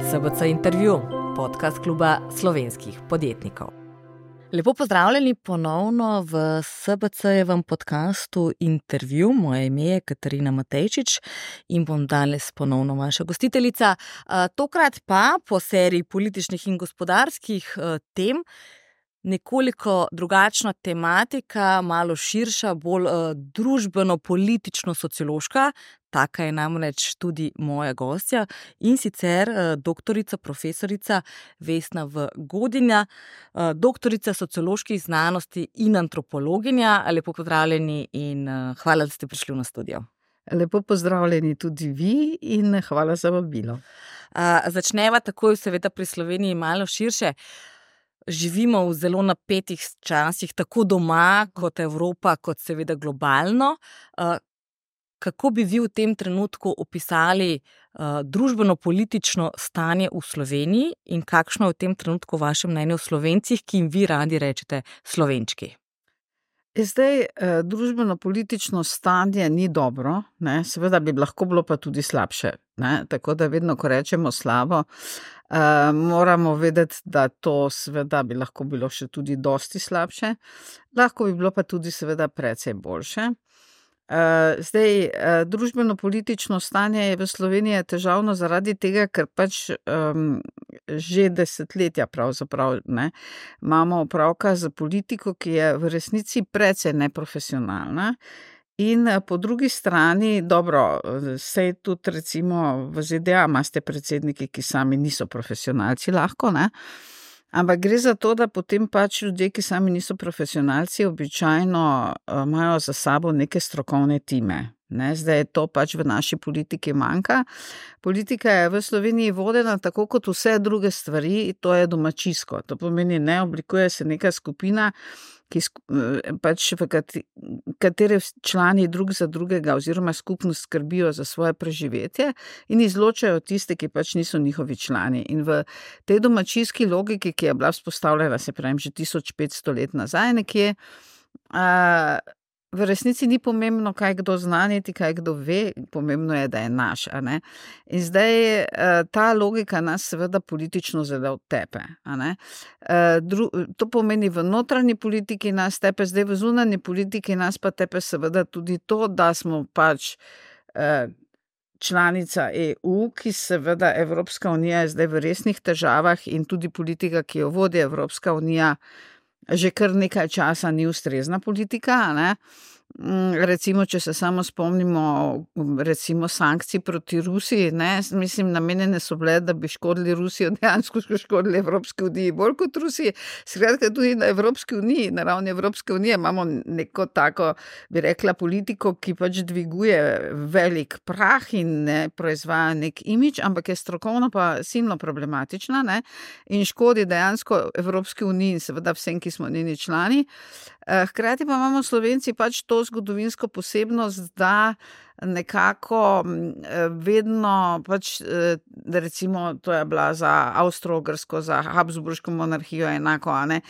SBC Intervju, podcast kluba slovenskih podjetnikov. Lepo pozdravljeni ponovno v SBC-jevem podcastu Intervju. Moje ime je Katarina Matejčič in bom danes ponovno vaša gostiteljica. Tokrat pa po seriji političnih in gospodarskih tem nekoliko drugačna tematika, malo širša, bolj družbeno-politično-sociološka. Taka je namreč tudi moja gostja in sicer doktorica, profesorica Vesna V. Godinja, doktorica socioloških znanosti in antropologinja. Lepo pozdravljeni in hvala, da ste prišli na studio. Lepo pozdravljeni tudi vi in hvala za vabilo. Začneva takoj seveda pri Sloveniji malo širše. Živimo v zelo napetih časih, tako doma kot Evropa, kot seveda globalno. Kako bi vi v tem trenutku opisali družbeno-politično stanje v Sloveniji in kakšno je v tem trenutku vaše mnenje o Slovencih, ki jim vi radi rečete Slovenčki? Zdaj, družbeno-politično stanje ni dobro, ne? Seveda bi lahko bilo pa tudi slabše. Ne? Tako da vedno, ko rečemo slabo, moramo vedeti, da to seveda bi lahko bilo še tudi dosti slabše. Lahko bi bilo pa tudi seveda precej boljše. Zdaj, družbeno-politično stanje je v Sloveniji težavno zaradi tega, ker pač že desetletja pravzaprav imamo opravka z politiko, ki je v resnici precej neprofesionalna. In po drugi strani, dobro, sej tudi recimo v ZDA imate predsedniki, ki sami niso profesionalci lahko, ne? Ampak gre za to, da potem pač ljudje, ki sami niso profesionalci, običajno imajo za sabo neke strokovne time. Ne? Zdaj je to pač v naši politiki manjka. Politika je v Sloveniji vodena tako kot vse druge stvari, to je domačijsko. To pomeni, ne oblikuje se neka skupina, pač v katere člani drug za drugega oziroma skupnost skrbijo za svoje preživetje in izločajo tiste, ki pač niso njihovi člani. In v tej domačijski logiki, ki je bila vzpostavljena, se pravim, že 1500 let nazaj nekje, v resnici ni pomembno, kaj kdo zna, niti kaj kdo ve, pomembno je, da je naš. A ne? In zdaj ta logika nas seveda politično zelo tepe. A ne? To pomeni v notranji politiki nas tepe, zdaj v zunanji politiki nas pa tepe seveda tudi to, da smo pač članica EU, ki seveda Evropska unija je zdaj v resnih težavah in tudi politika, ki jo vodi Evropska unija, že kar nekaj časa ni ustrezna politika, ne? Recimo, če se samo spomnimo recimo sankcij proti Rusiji, ne? Mislim, namenjene so bile, da bi škodili Rusijo, dejansko škodili Evropski uniji bolj kot Rusiji. Skratka, tudi na Evropski uniji, na ravni Evropske unije imamo neko tako, bi rekla, politiko, ki pač dviguje velik prah in ne proizvaja nek imidž, ampak je strokovno pa silno problematična, ne? In škodi dejansko Evropski uniji in seveda vsem, ki smo njeni člani. Hkrati pa imamo Slovenci pač to zgodovinsko posebnost, da nekako vedno pač, recimo to je bila za Avstro-Ogrsko, za Habsburško monarhijo enako, a ne,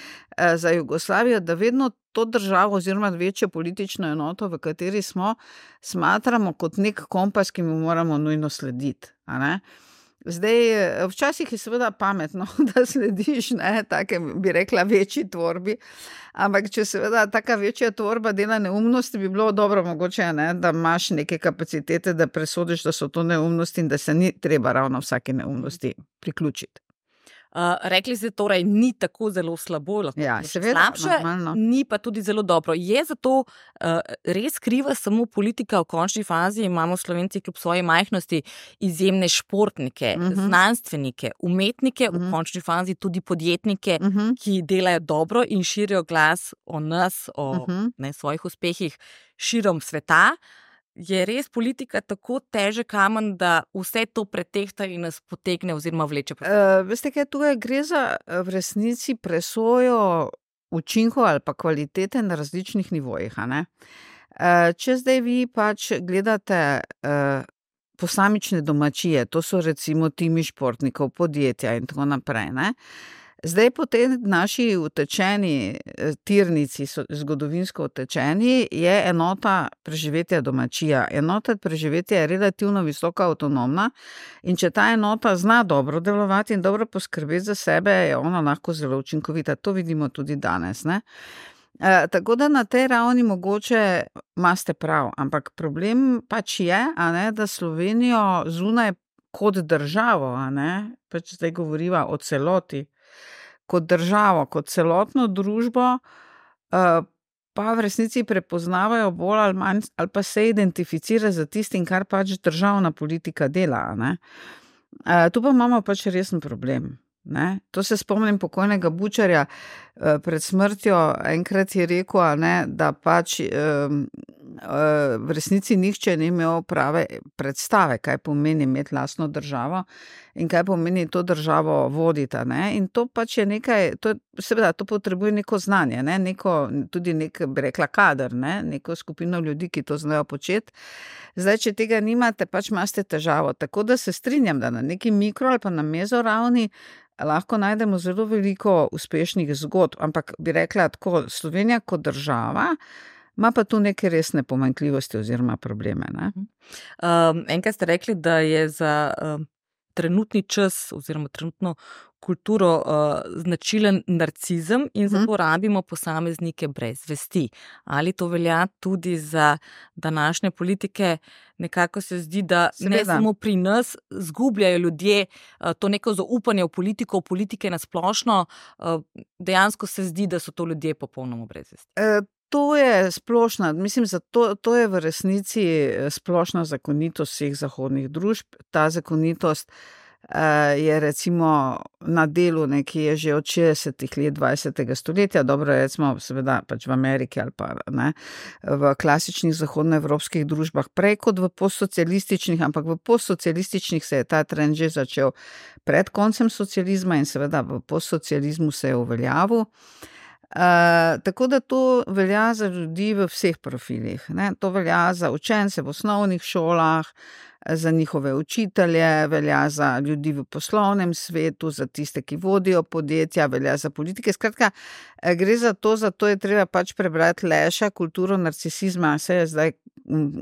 za Jugoslavijo, da vedno to državo oziroma večjo politično enoto, v kateri smo, smatramo kot nek kompas, ki mu moramo nujno slediti, a ne. Zdaj, včasih je seveda pametno, da slediš, ne, take, bi rekla, večji tvorbi, ampak če seveda taka večja tvorba dela neumnosti, bi bilo dobro mogoče, ne, da imaš neke kapacitete, da presodiš, da so to neumnosti in da se ni treba ravno vsake neumnosti priključiti. Rekli ste torej, ni tako zelo slabo, lahko seveda, slabše, normalno. Ni pa tudi zelo dobro. Je zato res kriva samo politika v končni fazi? Imamo Slovenci kljub svoji majhnosti izjemne športnike, znanstvenike, umetnike, v končni fazi tudi podjetnike, ki delajo dobro in širijo glas o nas, o svojih uspehih širom sveta. Je res politika tako težek kamen, da vse to pretehta in nas potegne oziroma vleče? Veste kaj, tukaj gre za v resnici presojo učinkov ali pa kvalitete na različnih nivojih, a ne? Če zdaj vi pač gledate posamične domačije, to so recimo timi športnikov, podjetja in tako naprej, ne? Zdaj po tej naši utečeni tirnici, zgodovinsko utečeni, je enota preživetja domačija. Enota preživetja je relativno visoko avtonomna in če ta enota zna dobro delovati in dobro poskrbeti za sebe, je ona lahko zelo učinkovita. To vidimo tudi danes, ne? Tako da na tej ravni mogoče imate prav, ampak problem pač je, da Slovenijo zunaj kot državo, pač zdaj govoriva o celoti, kot državo, kot celotno družbo, pa v resnici prepoznavajo bolj ali manj, ali pa se identificira za tistim, kar pač državna politika dela, Tu pa imamo pač resen problem. To se spomnim pokojnega Bučarja pred smrtjo, enkrat je rekel, da pač v resnici nihče ni imel prave predstave, kaj pomeni imeti lastno državo in kaj pomeni to državo voditi. In to pač je nekaj, seveda to potrebuje neko znanje, tudi bi rekla kader, neko skupino ljudi, ki to znajo početi. Zdaj, če tega nimate, pač imate težavo. Tako da se strinjam, da na neki mikro ali pa na mezo ravni lahko najdemo zelo veliko uspešnih zgodb, ampak bi rekla tako, Slovenija kot država ima pa tu neke resne pomanjkljivosti oziroma probleme. Enkrat ste rekli, da je za trenutni čas oziroma trenutno kulturo značilen narcizem in zato rabimo posameznike brez vesti. Ali to velja tudi za današnje politike? Nekako se zdi, da ne samo pri nas zgubljajo ljudje to neko zaupanje v politiko, v politike nasplošno, dejansko se zdi, da so to ljudje popolnoma brez vesti. To je splošna, mislim, to je v resnici splošna zakonitost vseh zahodnih družb. Ta zakonitost je recimo na delu nekje že od 60. let 20. stoletja, dobro recimo seveda pač v Ameriki ali pa v klasičnih zahodnoevropskih družbah, prej kot v postsocialističnih, ampak v postsocialističnih se je ta trend že začel pred koncem socializma in seveda v postsocializmu se je uveljavil. Tako da to velja za ljudi v vseh profilih, To velja za učence v osnovnih šolah, za njihove učitelje, velja za ljudi v poslovnem svetu, za tiste, ki vodijo podjetja, velja za politike. Skratka, gre za to je treba pač prebrati Leša, Kulturo narcisizma, se je zdaj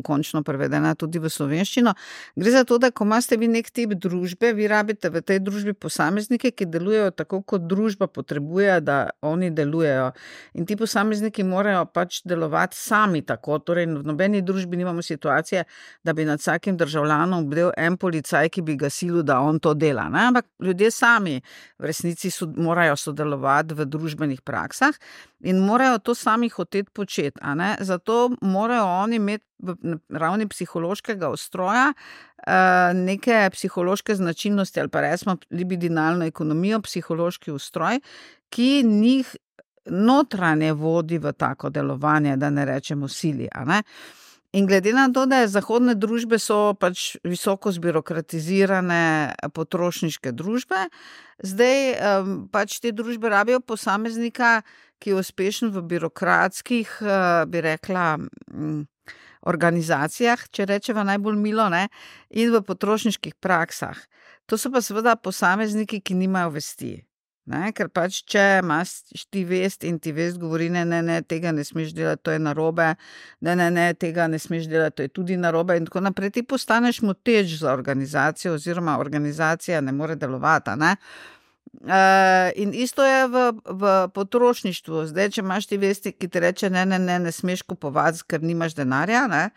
končno prevedena tudi v slovenščino. Gre za to, da ko imate vi nek tip družbe, vi rabite v tej družbi posameznike, ki delujejo tako, kot družba potrebuje, da oni delujejo. In ti posamezniki morajo pač delovati sami tako. Torej, v nobeni družbi nimamo situacije, da bi nad vsakim državljanom bdel en policaj, ki bi ga silil, da on to dela. Ampak ljudje sami v resnici morajo sodelovati v družbenih praksah in morajo to sami hoteti početi. Zato morajo oni imeti v ravni psihološkega ustroja neke psihološke značilnosti ali pa recimo libidinalno ekonomijo, psihološki ustroj, ki njih notranje vodi v tako delovanje, da ne rečemo sili. In glede na to, da zahodne družbe so pač visoko zbirokratizirane potrošniške družbe, zdaj pač te družbe rabijo posameznika, ki je uspešen v birokratskih, bi rekla, organizacijah, če rečeva najbolj milo, in v potrošniških praksah. To so pa seveda posamezniki, ki nimajo vesti. Ker pač, če imaš ti vest in ti vest govori, ne, tega ne smeš delati, to je narobe, ne, tega ne smeš delati, to je tudi narobe in tako naprej, ti postaneš moteč za organizacijo oziroma organizacija ne more delovati, In isto je v potrošništvu. Zdaj, če imaš ti vesti, ki ti reče, ne smeš kupovati, ker nimaš denarja,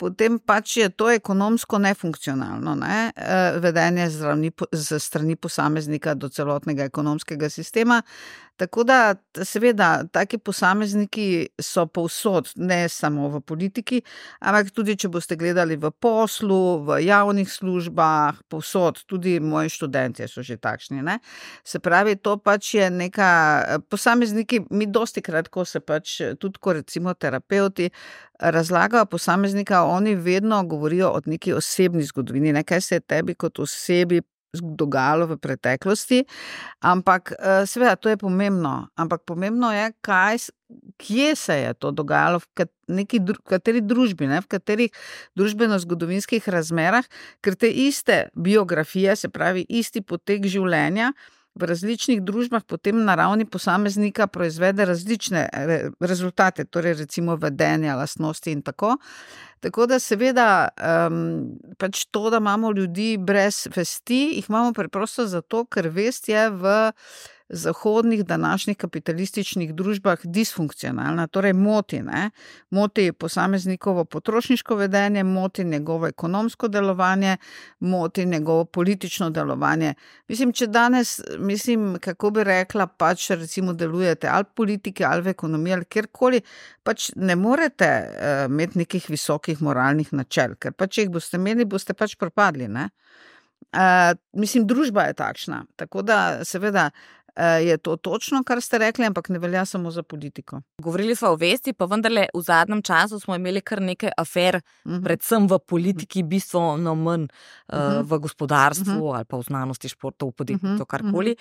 potem pač je to ekonomsko nefunkcionalno, vedenje z strani posameznika do celotnega ekonomskega sistema. Tako da, seveda, taki posamezniki so povsod, ne samo v politiki, ampak tudi, če boste gledali v poslu, v javnih službah, povsod, tudi moji študentje so že takšni, Se pravi, to pač je neka, posamezniki, mi dostikrat, ko se pač, tudi ko recimo terapeuti razlagajo posameznika, oni vedno govorijo o neki osebni zgodovini, kaj se je tebi kot osebi dogajalo v preteklosti, ampak seveda to je pomembno, ampak pomembno je, kje se je to dogajalo, v kateri družbi, v katerih družbeno-zgodovinskih razmerah, ker te iste biografije, se pravi isti potek življenja, v različnih družbah potem na ravni posameznika proizvede različne rezultate, torej recimo vedenja, lastnosti in tako. Tako da seveda pač to, da imamo ljudi brez vesti, jih imamo preprosto zato, ker vest je v zahodnih današnjih kapitalističnih družbah disfunkcionalna, torej moti, ne? Moti posameznikovo potrošniško vedenje, moti njegovo ekonomsko delovanje, moti njegovo politično delovanje. Če danes, kako bi rekla, pač recimo delujete ali politike, ali v ekonomiji, ali kjerkoli, pač ne morete imeti nekih visokih moralnih načel, ker pač jih boste imeli, boste pač propadli, ne? Družba je takšna, tako da seveda je to točno, kar ste rekli, ampak ne velja samo za politiko. Govorili smo o vesti, pa vendarle v zadnjem času smo imeli kar nekaj afer, predvsem v politiki, bistveno manj v gospodarstvu ali pa v znanosti, športu, v podjetništvu, karkoli.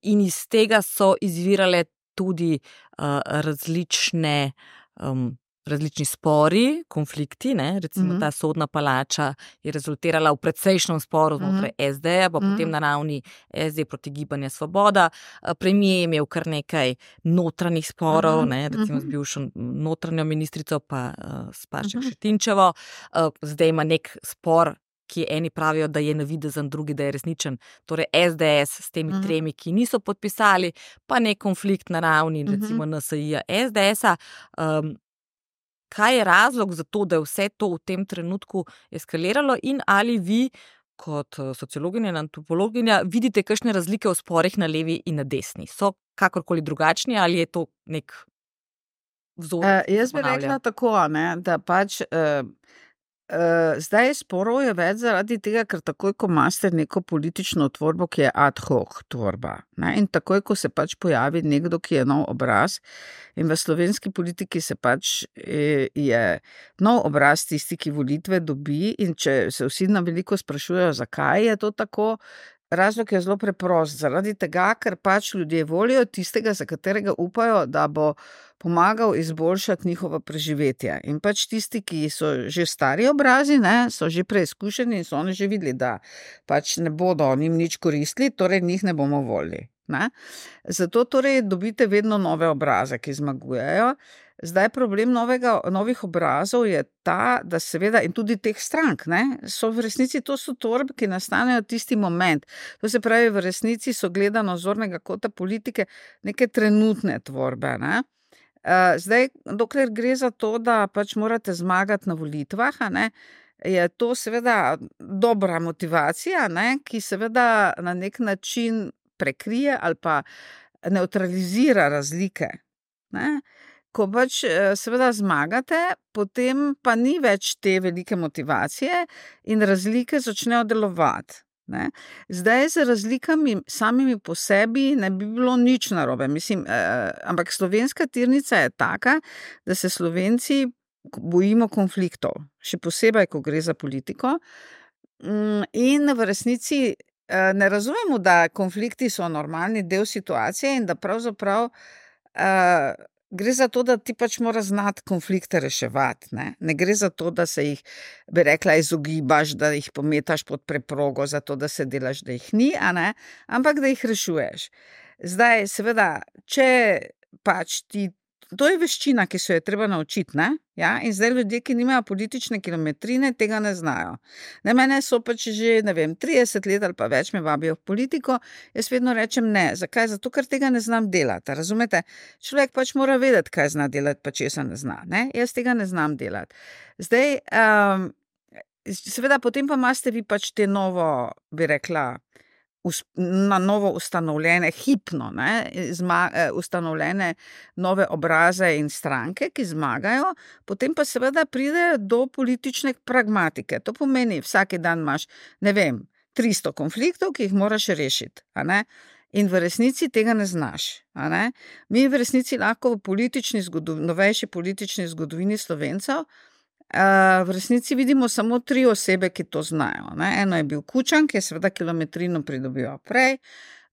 In iz tega so izvirale tudi različni spori, konflikti, ne? Recimo ta sodna palača je rezultirala v precejšnjem sporu znotraj SD-ja, pa potem na ravni SD proti Gibanja Svoboda. Premier je imel kar nekaj notranjih sporov, ne? Recimo z bivšo notranjo ministrico pa s Pašek Šetinčevo. Zdaj ima nek spor, ki eni pravijo, da je navidezen, drugi, da je resničen. Torej SDS s temi tremi, ki niso podpisali, pa nek konflikt na ravni recimo NSI-ja, SDS-a. Kaj je razlog za to, da je vse to v tem trenutku eskaliralo in ali vi kot sociologinja in antropologinja vidite kakšne razlike v sporih na levi in na desni? So kakorkoli drugačni ali je to nek vzor? Jaz bi rekla tako, ne, da pač zdaj sporov je več zaradi tega, ker takoj, ko imate neko politično tvorbo, ki je ad hoc tvorba, ne, in takoj, ko se pač pojavi nekdo, ki je nov obraz, in v slovenski politiki se pač je nov obraz tisti, ki volitve dobi, in če se vsi na veliko sprašujejo, zakaj je to tako, razlog je zelo preprost, zaradi tega, ker pač ljudje volijo tistega, za katerega upajo, da bo pomagal izboljšati njihovo preživetje. In pač tisti, ki so že stari obrazi, ne, so že preizkušeni in so oni že videli, da pač ne bodo njim nič koristili, torej njih ne bomo volili. Ne? Zato torej dobite vedno nove obraze, ki zmagujejo. Zdaj problem novih obrazov je ta, da seveda in tudi teh strank, ne, so v resnici, to so tvorbe, ki nastanejo tisti moment. To se pravi, v resnici so gledano zornega kota politike neke trenutne tvorbe, ne. Zdaj, dokler gre za to, da pač morate zmagati na volitvah, ne, je to seveda dobra motivacija, ne, ki seveda na nek način prekrije ali pa nevtralizira razlike, ne. Ko pač seveda zmagate, potem pa ni več te velike motivacije in razlike začnejo delovati. Ne? Zdaj z razlikami samimi po sebi ne bi bilo nič narobe. Ampak slovenska tirnica je taka, da se Slovenci bojimo konfliktov, še posebej, ko gre za politiko. In v resnici ne razumemo, da konflikti so normalni del situacije in da pravzaprav gre za to, da ti pač mora znati konflikte reševati. Ne gre za to, da se jih, bi rekla, izogibaš, da jih pometaš pod preprogo, zato da se delaš, da jih ni, ampak da jih rešuješ. Zdaj, seveda, če pač to je veščina, ki se jo je treba naučiti, ne? Ja? In zdaj ljudje, ki nimajo politične kilometrine, tega ne znajo. Ne, mene so pač že, 30 let ali pa več me vabijo v politiko, jaz vedno rečem ne. Zakaj? Zato, ker tega ne znam delati. Razumete? Človek pač mora vedeti, kaj zna delati, pa česa ne zna. Ne? Jaz tega ne znam delati. Zdaj, seveda, potem pa imate vi pač te novo, bi rekla, na novo ustanovljene, hipno, ustanovljene nove obraze in stranke, ki zmagajo, potem pa seveda pride do politične pragmatike. To pomeni, vsak dan imaš, 300 konfliktov, ki jih moraš rešiti, in v resnici tega ne znaš. Mi v resnici lahko v novejši politični zgodovini Slovencev v resnici vidimo samo 3 osebe, ki to znajo. Eno je bil Kučan, ki je seveda kilometrino pridobival prej,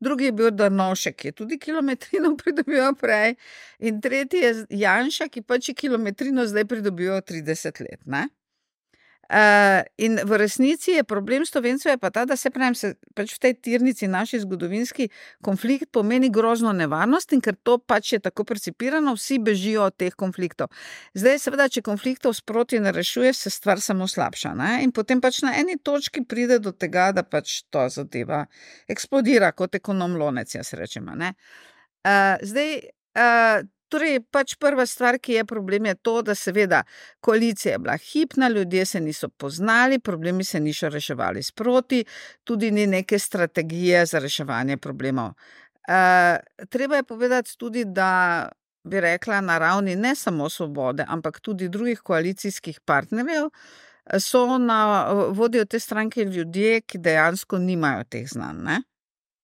drugi je bil Drnovšek, ki je tudi kilometrino pridobival prej, in tretji je Janša, ki pač je kilometrino zdaj pridobival 30 let. In v resnici je problem Slovencev je pa ta, da se pač v tej tirnici naši zgodovinski konflikt pomeni grozno nevarnost in ker to pač je tako percipirano, vsi bežijo od teh konfliktov. Zdaj seveda, če konfliktov sproti ne rešuje, se stvar samo slabša, ne? In potem pač na eni točki pride do tega, da pač to zadeva eksplodira kot ekonom lonec, jaz rečem, ne? Torej, pač prva stvar, ki je problem, je to, da seveda koalicija je bila hipna, ljudje se niso poznali, problemi se niso reševali sproti, tudi ni neke strategije za reševanje problemov. Treba je povedati tudi, da bi rekla na ravni ne samo Svobode, ampak tudi drugih koalicijskih partnerjev, vodijo te stranke ljudje, ki dejansko nimajo teh znanj, ne?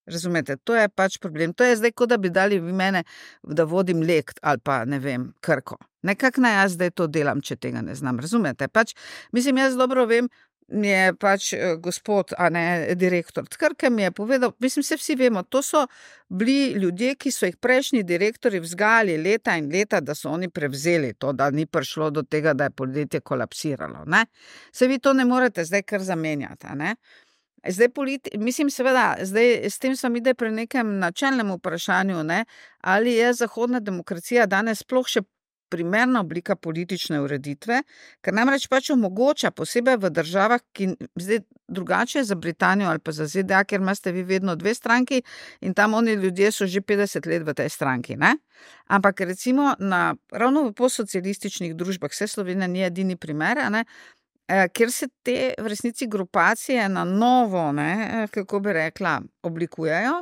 Razumete, to je pač problem. To je zdaj, kot da bi dali vi mene, da vodim Lekt ali pa, ne vem, Krko. Nekako naj jaz zdaj to delam, če tega ne znam. Razumete? Pač, mislim, jaz dobro vem, mi je pač gospod, direktor Krke mi je povedal, mislim, se vsi vemo, to so bili ljudje, ki so jih prejšnji direktorji vzgajali leta in leta, da so oni prevzeli to, da ni prišlo do tega, da je podjetje kolapsiralo, ne? Se vi to ne morete zdaj kar zamenjati, ne? Zdaj mislim seveda, zdaj s tem sem ide pri nekem načelnem vprašanju, ne, ali je zahodna demokracija danes sploh še primerna oblika politične ureditve, ker namreč pač omogoča, posebej v državah, ki zdaj drugače je za Britanijo ali pa za ZDA, ker imate vi vedno dve stranki in tam oni ljudje so že 50 let v tej stranki, ne? Ampak recimo ravno v postsocialističnih družbah, vse Slovenija ni edini primer, ne? Kjer se te v resnici grupacije na novo, ne, kako bi rekla, oblikujejo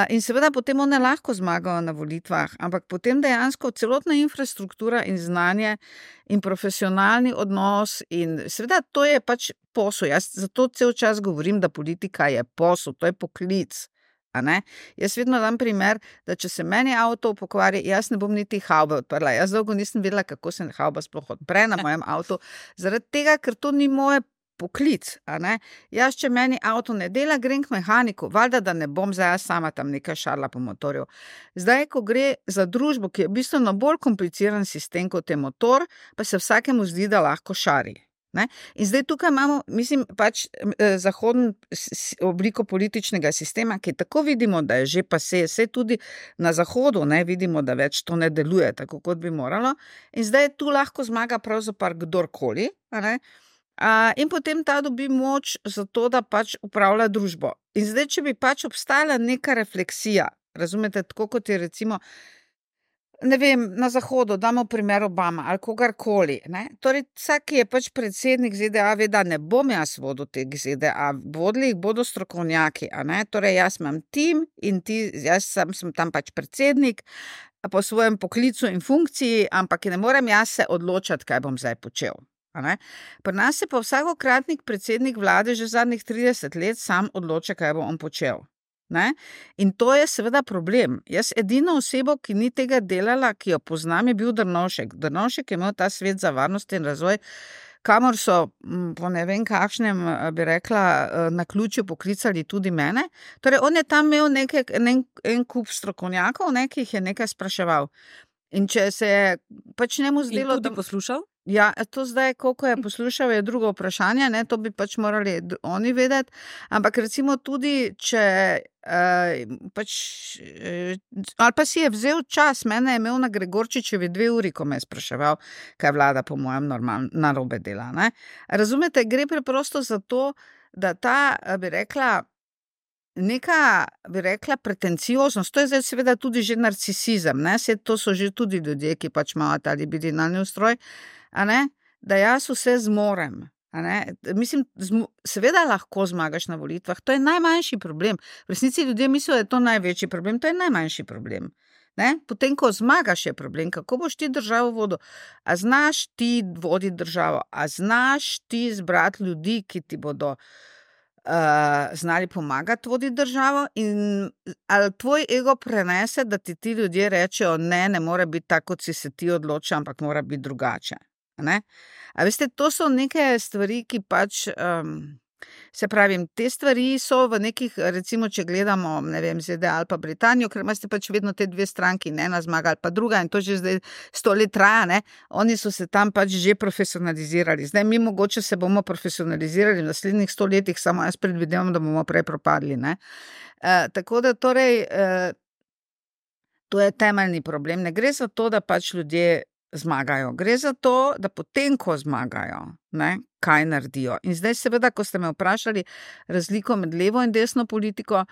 in seveda potem one lahko zmagajo na volitvah, ampak potem dejansko celotna infrastruktura in znanje in profesionalni odnos in seveda to je pač posel. Jaz zato cel čas govorim, da politika je posel, to je poklic. A ne? Jaz vedno dam primer, da če se meni avto pokvari, jaz ne bom niti havbe odprla. Jaz dolgo nisem vedela, kako se havba sploh odpre na mojem avtu, zaradi tega, ker to ni moj poklic. A ne? Jaz, če meni avto ne dela, grem k mehaniku, valjda, da ne bom zdaj sama tam nekaj šarla po motorju. Zdaj, ko gre za družbo, ki je bistveno bolj kompliciran sistem kot je motor, pa se vsakemu zdi, da lahko šari. Ne? In zdaj tukaj imamo, mislim, pač zahodno obliko političnega sistema, ki tako vidimo, da je že pa se tudi na zahodu, ne, vidimo, da več to ne deluje tako, kot bi moralo. In zdaj tu lahko zmaga pravzaprav kdorkoli, ne? In potem ta dobi moč za to, da pač upravlja družbo. In zdaj, če bi pač obstajala neka refleksija, razumete, tako kot je recimo ne vem, na zahodu, damo primer Obama ali kogarkoli, ne? Torej, vsak, ki je pač predsednik ZDA, ve, da ne bom jaz vodil teh ZDA, vodili jih bodo strokovnjaki, a ne? Torej, jaz imam tim in jaz sem tam pač predsednik po svojem poklicu in funkciji, ampak ne morem jaz se odločati, kaj bom zdaj počel. A ne? Pri nas se pa vsakokratnik predsednik vlade že zadnjih 30 let sam odloča, kaj bo on počel. Ne? In to je seveda problem. Jaz edino osebo, ki ni tega delala, ki jo poznam, je bil Drnovšek. Drnovšek je imel ta svet za varnost in razvoj, kamor so po ne vem kakšnem, bi rekla, naključju poklicali tudi mene. Torej, on je tam imel en kup strokovnjakov, ki jih je nekaj spraševal. In če se je pač njemu zdelo... In tudi poslušal? Ja, to zdaj, koliko je poslušal, je drugo vprašanje, ne, to bi pač morali oni vedeti, ampak recimo tudi, če ali pa si je vzel čas, mene je imel na Gregorčičevi 2 uri, ko me je spraševal, kaj vlada po mojem narobe dela, ne. Razumete, gre preprosto za to, da ta, bi rekla, neka, bi rekla, pretencioznost, to je zdaj seveda tudi že narcisizem, ne, to so že tudi ljudje, ki pač imajo ta libidinalni ustroj, a ne, da jaz vse zmorem, a ne, mislim, seveda lahko zmagaš na volitvah, to je najmanjši problem, v resnici ljudje mislijo, da je to največji problem, to je najmanjši problem, ne, potem, ko zmagaš, je problem, kako boš ti državo vodil, a znaš ti voditi državo, a znaš ti zbrati ljudi, ki ti bodo znali pomagati voditi državo in ali tvoj ego prenese, da ti ljudje rečejo, ne more biti tako, kot si se ti odločil, ampak mora biti drugače. Ne? A veste, to so neke stvari, ki pač Se pravi, te stvari so v nekih, recimo, če gledamo, ne vem, ZDA ali pa Britanijo, ker imate pač vedno te dve stranki, ne, ena zmaga ali pa druga in to že zdaj 100 let traja, ne, oni so se tam pač že profesionalizirali. Zdaj mi mogoče se bomo profesionalizirali v naslednjih 100 letih, samo jaz predvidevam, da bomo prej propadli, ne. Tako da torej, to je temeljni problem. Ne gre za to, da pač ljudje zmagajo. Gre za to, da potem, ko zmagajo, ne, kaj naredijo. In zdaj seveda, ko ste me vprašali razliko med levo in desno politiko,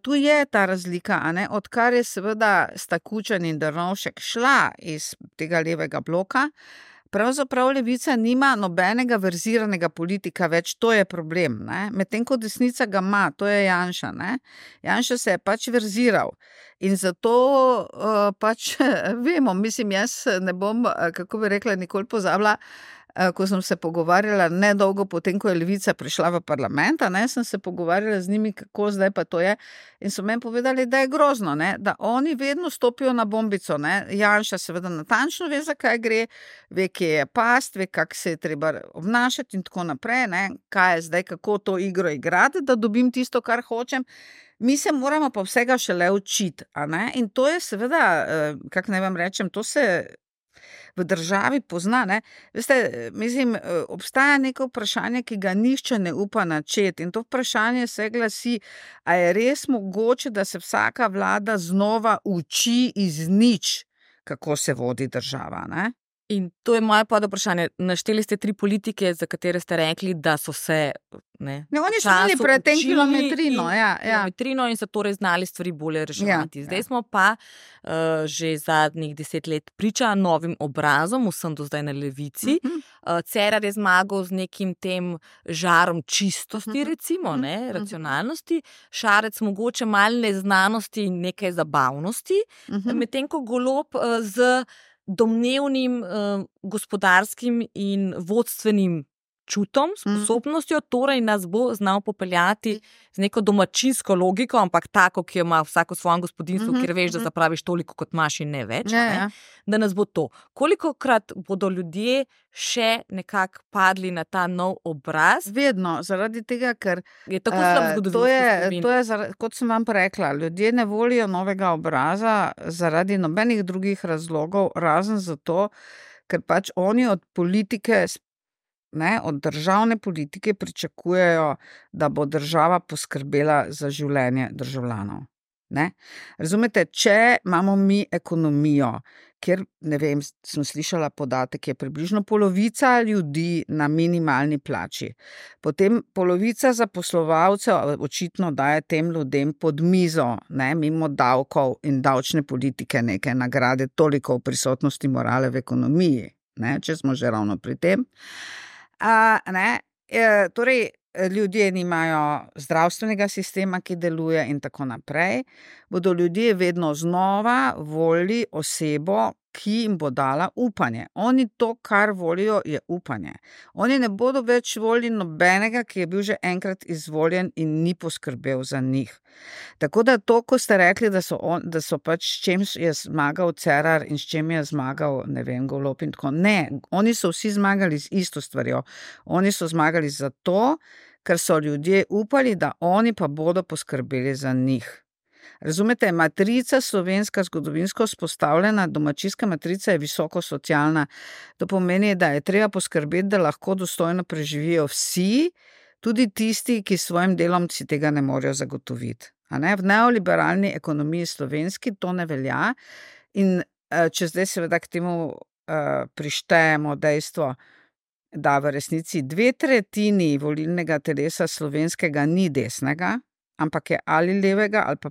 tu je ta razlika, a ne, odkar je seveda sta Kučan in Drnovšek šla iz tega levega bloka, pravzaprav levica nima nobenega verziranega politika več, to je problem, ne. Medtem ko desnica ga ima, to je Janša, ne. Janša se je pač verziral in zato pač vemo, mislim, jaz ne bom, kako bi rekla, nikoli pozabila, ko sem se pogovarjala nedolgo potem, ko je levica prišla v parlament, ne, sem se pogovarjala z njimi, kako zdaj pa to je, in so meni povedali, da je grozno, ne, da oni vedno stopijo na bombico, ne. Janša seveda natančno ve, za kaj gre, ve, kje je past, ve, kako se je treba obnašati in tako naprej, ne, kaj je zdaj, kako to igro igrati, da dobim tisto, kar hočem. Mi se moramo pa vsega šele učiti, a ne, in to je seveda, kako naj vam rečem, to se v državi pozna, ne. Veste, mislim, obstaja neko vprašanje, ki ga nihče ne upa načeti in to vprašanje se glasi, a je res mogoče, da se vsaka vlada znova uči iz nič, kako se vodi država, ne? In to je moje podvprašanje. Našteli ste 3 politike, za katere ste rekli, da so se oni so imeli pred tem kilometrino, kilometrino in so torej znali stvari bolje reševati. Zdaj smo pa že zadnjih 10 let priča novim obrazom, vsem do zdaj na levici. Cerar je zmagal z nekim tem žarom čistosti, recimo, ne, racionalnosti, Šarec mogoče malo neznanosti in nekaj zabavnosti, medtem ko Golob z domnevnim gospodarskim in vodstvenim čutom, sposobnostjo, torej nas bo znal popeljati z neko domačinsko logiko, ampak tako, ki jo ima vsako svojem gospodinstvu, kjer veš, da zapraviš toliko, kot imaš in ne več, ne? Da nas bo to. Kolikokrat bodo ljudje še nekako padli na ta nov obraz? Vedno, zaradi tega, ker je tako slab zgodovinski spomin. Kot sem vam rekla, ljudje ne volijo novega obraza zaradi nobenih drugih razlogov, razen zato, ker pač oni od politike, ne, od državne politike pričakujejo, da bo država poskrbela za življenje državljanov. Ne? Razumete, če imamo mi ekonomijo, kjer, ne vem, sem slišala podatek, je približno polovica ljudi na minimalni plači, potem polovica zaposlovalcev očitno daje tem ljudem pod mizo, ne, mimo davkov in davčne politike neke nagrade, toliko v prisotnosti morale v ekonomiji, ne, če smo že ravno pri tem. Torej, ljudje nimajo zdravstvenega sistema, ki deluje in tako naprej, bodo ljudje vedno znova volili osebo, ki jim bo dala upanje. Oni to, kar volijo, je upanje. Oni ne bodo več volili nobenega, ki je bil že enkrat izvoljen in ni poskrbel za njih. Tako da to, ko ste rekli, da so pač s čem je zmagal Cerar in s čem je zmagal, ne vem, Golob in tako. Ne, oni so vsi zmagali z isto stvarjo. Oni so zmagali zato, ker so ljudje upali, da oni pa bodo poskrbeli za njih. Razumete, matrica slovenska, zgodovinsko vzpostavljena, domačijska matrica je visoko socialna. To pomeni, da je treba poskrbeti, da lahko dostojno preživijo vsi, tudi tisti, ki s svojim delom si tega ne morejo zagotoviti. V neoliberalni ekonomiji slovenski to ne velja in če zdaj seveda k temu prištejemo dejstvo, da v resnici 2/3 volilnega telesa slovenskega ni desnega, ampak je ali levega ali pa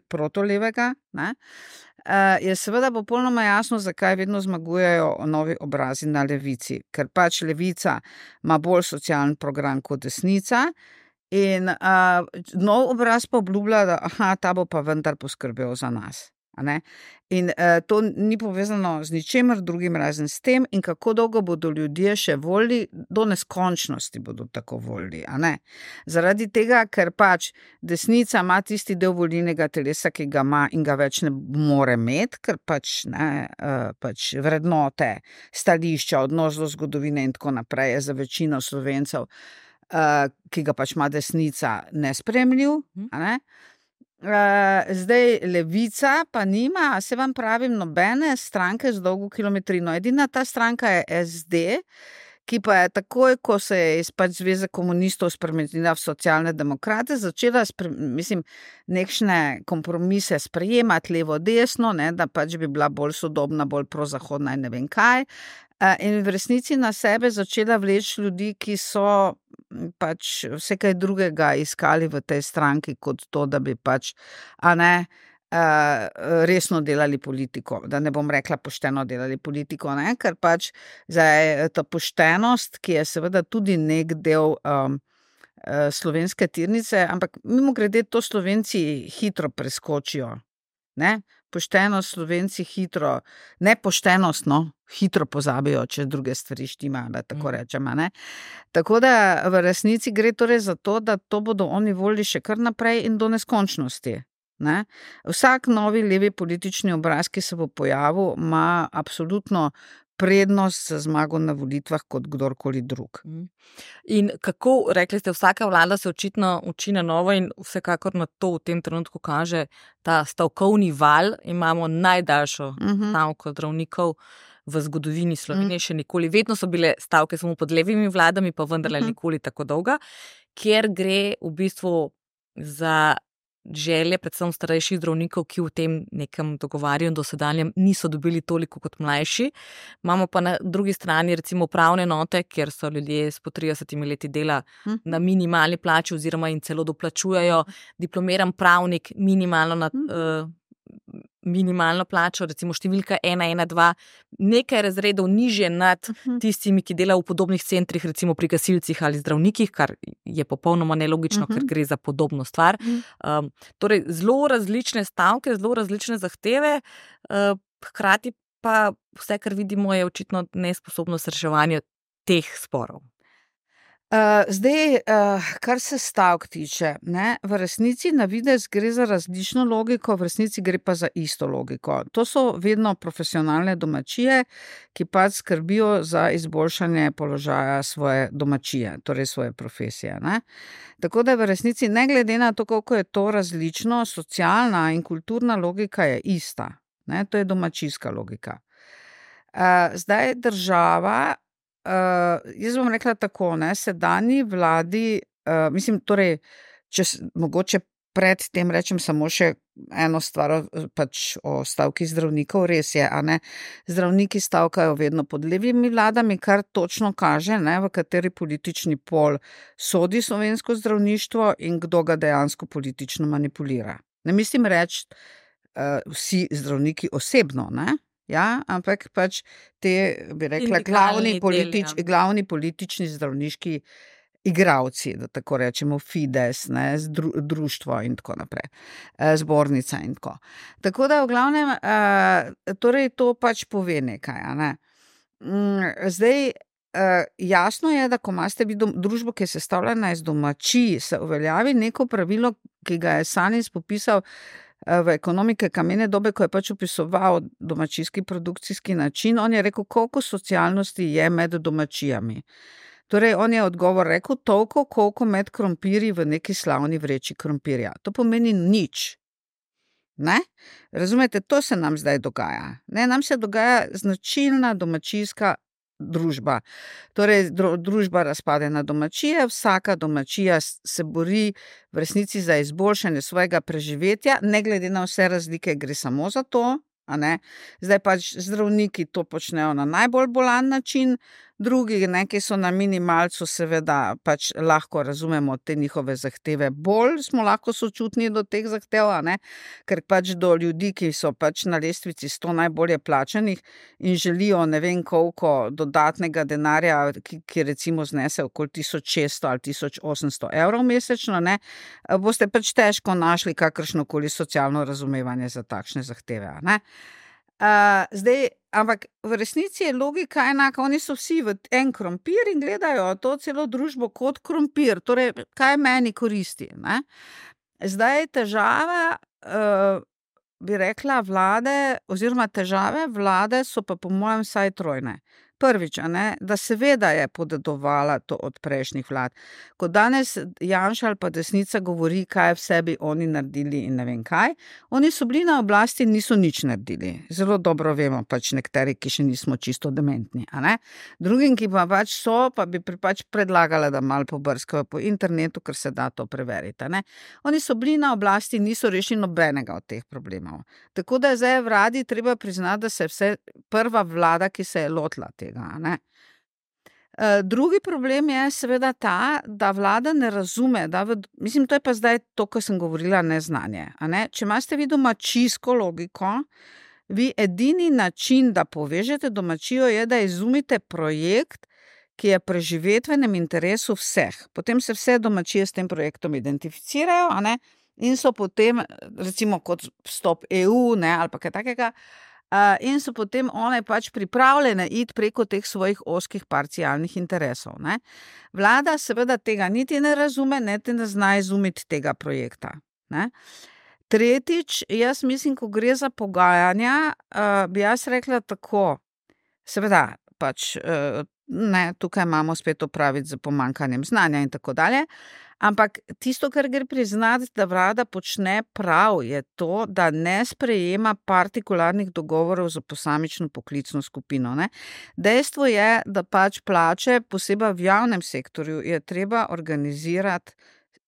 protolevega, ne, je seveda popolnoma jasno, zakaj vedno zmagujejo novi obrazi na levici. Ker pač levica ima bolj socialen program kot desnica in nov obraz pa obljublja, da ta bo pa vendar poskrbel za nas. In to ni povezano z ničemer drugim razen s tem, in kako dolgo bodo ljudje še volili, do neskončnosti bodo tako volili. Zaradi tega, ker pač desnica ima tisti del volilnega telesa, ki ga ima in ga več ne more imeti, ker pač vrednote, stališča, odnos do zgodovine in tako naprej je za večino Slovencev ki ga pač ima desnica, nesprejemljiv. Ne? Zdaj Levica pa nima, se vam pravim, nobene stranke z dolgo kilometrino. Edina ta stranka je SD, ki pa je takoj, ko se je iz pač Zveze komunistov spremenila v socialne demokrate, začela nekšne kompromise sprejemati levo-desno, ne, da pač bi bila bolj sodobna, bolj prozahodna in ne vem kaj. In v resnici na sebe začela vleči ljudi, ki so pač vse kaj drugega iskali v tej stranki, kot to, da bi pač, resno delali politiko, da ne bom rekla pošteno delali politiko, ne? Ker pač zdaj ta poštenost, ki je seveda tudi nek del slovenske tirnice, ampak mimogrede to Slovenci hitro preskočijo, ne? Poštenost Slovenci hitro, nepoštenost, hitro pozabijo, če druge stvari štima, da tako rečemo, ne? Tako da v resnici gre torej za to, da to bodo oni volili še kar naprej in do neskončnosti. Ne? Vsak novi levi politični obraz, ki se bo pojavil, ima absolutno prednost za zmago na volitvah kot kdorkoli drug. In kako, rekli ste, vsaka vlada se očitno uči na novo in vsekakor na to v tem trenutku kaže ta stavkovni val. Imamo najdaljšo stavko zdravnikov v zgodovini Slovenije, še nikoli. Vedno so bile stavke samo pod levimi vladami, pa vendarle nikoli tako dolga, kjer gre v bistvu za želje predvsem starejših zdravnikov, ki v tem nekem dogovarjanju dosedanjem niso dobili toliko kot mlajši. Imamo pa na drugi strani recimo upravne enote, kjer so ljudje s po 30 leti dela na minimalni plači oziroma in celo doplačujejo diplomiran pravnik minimalno plačo, recimo številka 112, nekaj razredov nižje nad tistimi, ki delajo v podobnih centrih, recimo pri gasilcih ali zdravnikih, kar je popolnoma nelogično, ker gre za podobno stvar. Torej, zelo različne stavke, zelo različne zahteve, hkrati pa vse, kar vidimo, je očitno nesposobnost reševanja teh sporov. Zdaj, kar se stavk tiče, ne, v resnici na videz gre za različno logiko, v resnici gre pa za isto logiko. To so vedno profesionalne domačije, ki pač skrbijo za izboljšanje položaja svoje domačije, torej svoje profesije. Ne. Tako da v resnici, ne glede na to, koliko je to različno, socialna in kulturna logika je ista. Ne, to je domačijska logika. Zdaj država, jaz bom rekla tako, ne, sedanji vladi, torej, če mogoče pred tem rečem samo še eno stvar pač o stavki zdravnikov, res je, zdravniki stavkajo vedno pod levimi vladami, kar točno kaže, ne, v kateri politični pol sodi slovensko zdravništvo in kdo ga dejansko politično manipulira. Ne mislim reči vsi zdravniki osebno, ne? Ja, ampak pač te, bi rekla, glavni politični zdravniški igravci, da tako rečemo, Fides, ne, društvo in tako naprej, zbornica in tako. Tako da v glavnem, torej to pač pove nekaj, ne. Zdaj, jasno je, da ko imate vi družbo, ki je sestavljena iz domačij, se uveljavi neko pravilo, ki ga je Sanis popisal v ekonomike kamene dobe, ko je pač opisoval domačijski produkcijski način, on je rekel, koliko socialnosti je med domačijami. Torej, on je odgovor rekel, toliko, koliko med krompirji v neki slavni vreči krompirja. To pomeni nič. Ne? Razumete, to se nam zdaj dogaja. Ne? Nam se dogaja značilna domačijska družba. Torej, družba razpade na domačije, vsaka domačija se bori v resnici za izboljšanje svojega preživetja, ne glede na vse razlike, gre samo za to, a ne. Zdaj pač zdravniki to počnejo na najbolj bolan način, drugi, ne, ki so na minimalcu, seveda pač lahko razumemo te njihove zahteve, bolj smo lahko sočutni do teh zahtev, a ne, ker pač do ljudi, ki so pač na lestvici 100 najbolje plačanih in želijo ne vem koliko dodatnega denarja, ki recimo znese okoli 1600 ali 1800 evrov mesečno, ne, boste pač težko našli kakršnokoli socialno razumevanje za takšne zahteve, a ne. Zdaj, ampak v resnici je logika enaka, oni so vsi v en krompir in gledajo to celo družbo kot krompir, torej kaj meni koristi, ne? Zdaj težava, bi rekla, vlade oziroma težave vlade so pa po mojem vsaj trojne. Prvič, da seveda je podedovala to od prejšnjih vlad. Ko danes Janša ali pa desnica govori, kaj vse bi oni naredili in ne vem kaj, oni so bili na oblasti in niso nič naredili. Zelo dobro vemo, pač nekateri, ki še nismo čisto dementni. Drugim, ki pa pač so, pa bi pač predlagala, da malo pobrskajo po internetu, ker se da to preveriti. Oni so bili na oblasti in niso rešili nobenega od teh problemov. Tako da je zdaj vladi treba priznati, da se je vse prva vlada, ki se je lotila tega. Drugi problem je seveda ta, da vlada ne razume, mislim, to je pa zdaj to, kar sem govorila, neznanje. Če imate vi domačijsko logiko, vi edini način, da povežete domačijo, je, da izumite projekt, ki je preživetvenem interesu vseh. Potem se vse domačije s tem projektom identificirajo, in so potem, recimo kot vstop EU, ali pa kaj takega, in so potem one pač pripravljene iti preko teh svojih ozkih parcialnih interesov. Vlada seveda tega niti ne razume, niti ne zna izumiti tega projekta. Tretjič, jaz mislim, ko gre za pogajanja, bi jaz rekla tako, seveda pač tukaj imamo spet opraviti z pomanjkanjem znanja in tako dalje, ampak tisto, kar gre priznati, da vlada počne prav, je to, da ne sprejema partikularnih dogovorov za posamično poklicno skupino. Dejstvo je, da pač plače, posebej v javnem sektorju, je treba organizirati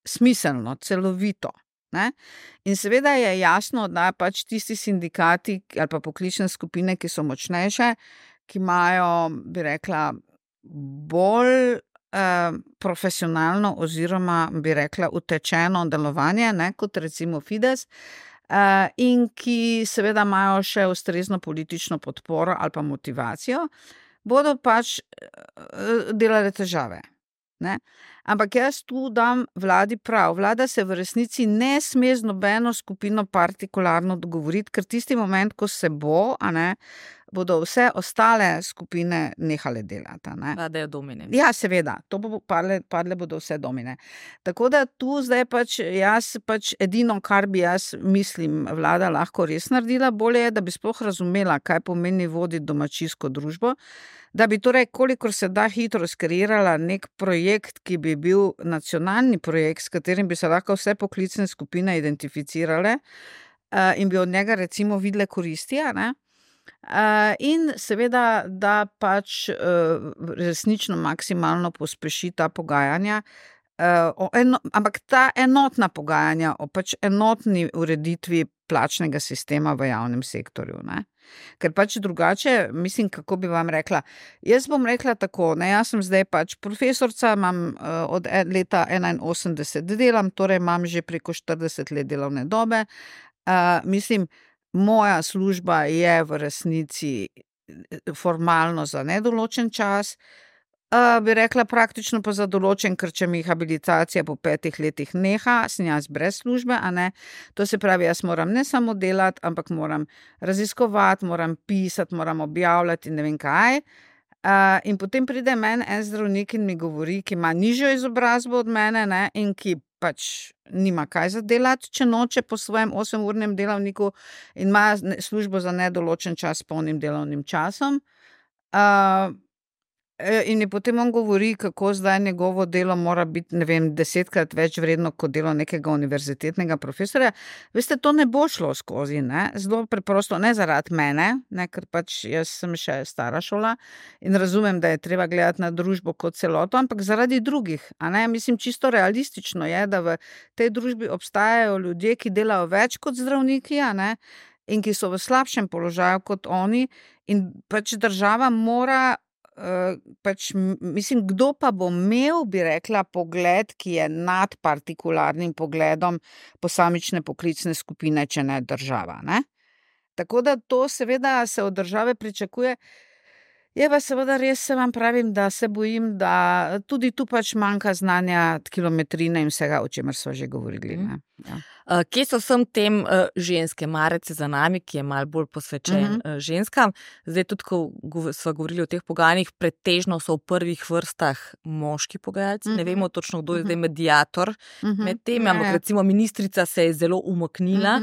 smiselno, celovito. In seveda je jasno, da pač tisti sindikati ali pa poklicne skupine, ki so močnejše, ki imajo, bi rekla, bolj profesionalno oziroma, bi rekla, utečeno delovanje, kot recimo Fides, in ki seveda imajo še ustrezno politično podporo ali pa motivacijo, bodo pač delale težave. Ampak jaz tu dam vladi prav. Vlada se v resnici ne sme z nobeno skupino partikularno dogovoriti, ker tisti moment, ko se bo, bodo vse ostale skupine nehale delati. Padajo domine. Ja, seveda, to bo padle bodo vse domine. Tako da tu zdaj jaz edino, kar bi jaz mislim, vlada lahko res naredila, bolje je, da bi sploh razumela, kaj pomeni voditi domačijsko družbo, da bi torej, kolikor se da hitro skreirala nek projekt, ki bi bil nacionalni projekt, s katerim bi se lahko vse poklicne skupine identificirale in bi od njega recimo videle koristi, in seveda, da pač resnično maksimalno pospeši ta pogajanja, ampak ta enotna pogajanja o pač enotni ureditvi plačnega sistema v javnem sektorju. Ker pač drugače, mislim, kako bi vam rekla, jaz bom rekla tako, jaz sem zdaj pač profesorca, imam od leta 81 delam, torej imam že preko 40 let delovne dobe, mislim, moja služba je v resnici formalno za nedoločen čas, bi rekla praktično pa za določen, ker če mi habilitacija po 5 letih neha, sem jaz brez službe, To se pravi, jaz moram ne samo delati, ampak moram raziskovati, moram pisati, moram objavljati in ne vem kaj. In potem pride meni en zdravnik in mi govori, ki ima nižjo izobrazbo od mene, in ki pač nima kaj za delati, če noče po svojem 8-urnem delavniku in ima službo za nedoločen čas s polnim delovnim časom. In je potem on govori, kako zdaj njegovo delo mora biti, ne vem, 10-krat več vredno kot delo nekega univerzitetnega profesorja. Veste, to ne bo šlo skozi, Zelo preprosto, ne zaradi mene, ker pač jaz sem še stara šola in razumem, da je treba gledati na družbo kot celoto, ampak zaradi drugih, Mislim, čisto realistično je, da v tej družbi obstajajo ljudje, ki delajo več kot zdravniki, in ki so v slabšem položaju kot oni, in pač država mora mislim, kdo pa bo imel, bi rekla, pogled, ki je nad partikularnim pogledom posamične poklicne skupine, če ne država, Tako da to seveda se od države pričakuje. Je pa seveda res, se vam pravim, da se bojim, da tudi tu pač manjka znanja, kilometrine in vsega, o čemer sva že govorili. Kje so vsem tem ženske, Marec za nami, ki je malo bolj posvečen ženskam. Zdaj tudi, ko sva govorili o teh pogajanjih, pretežno so v prvih vrstah moški pogajalci. Ne vemo točno, kdo je zdaj mediator med tem, ampak recimo ministrica se je zelo umaknila.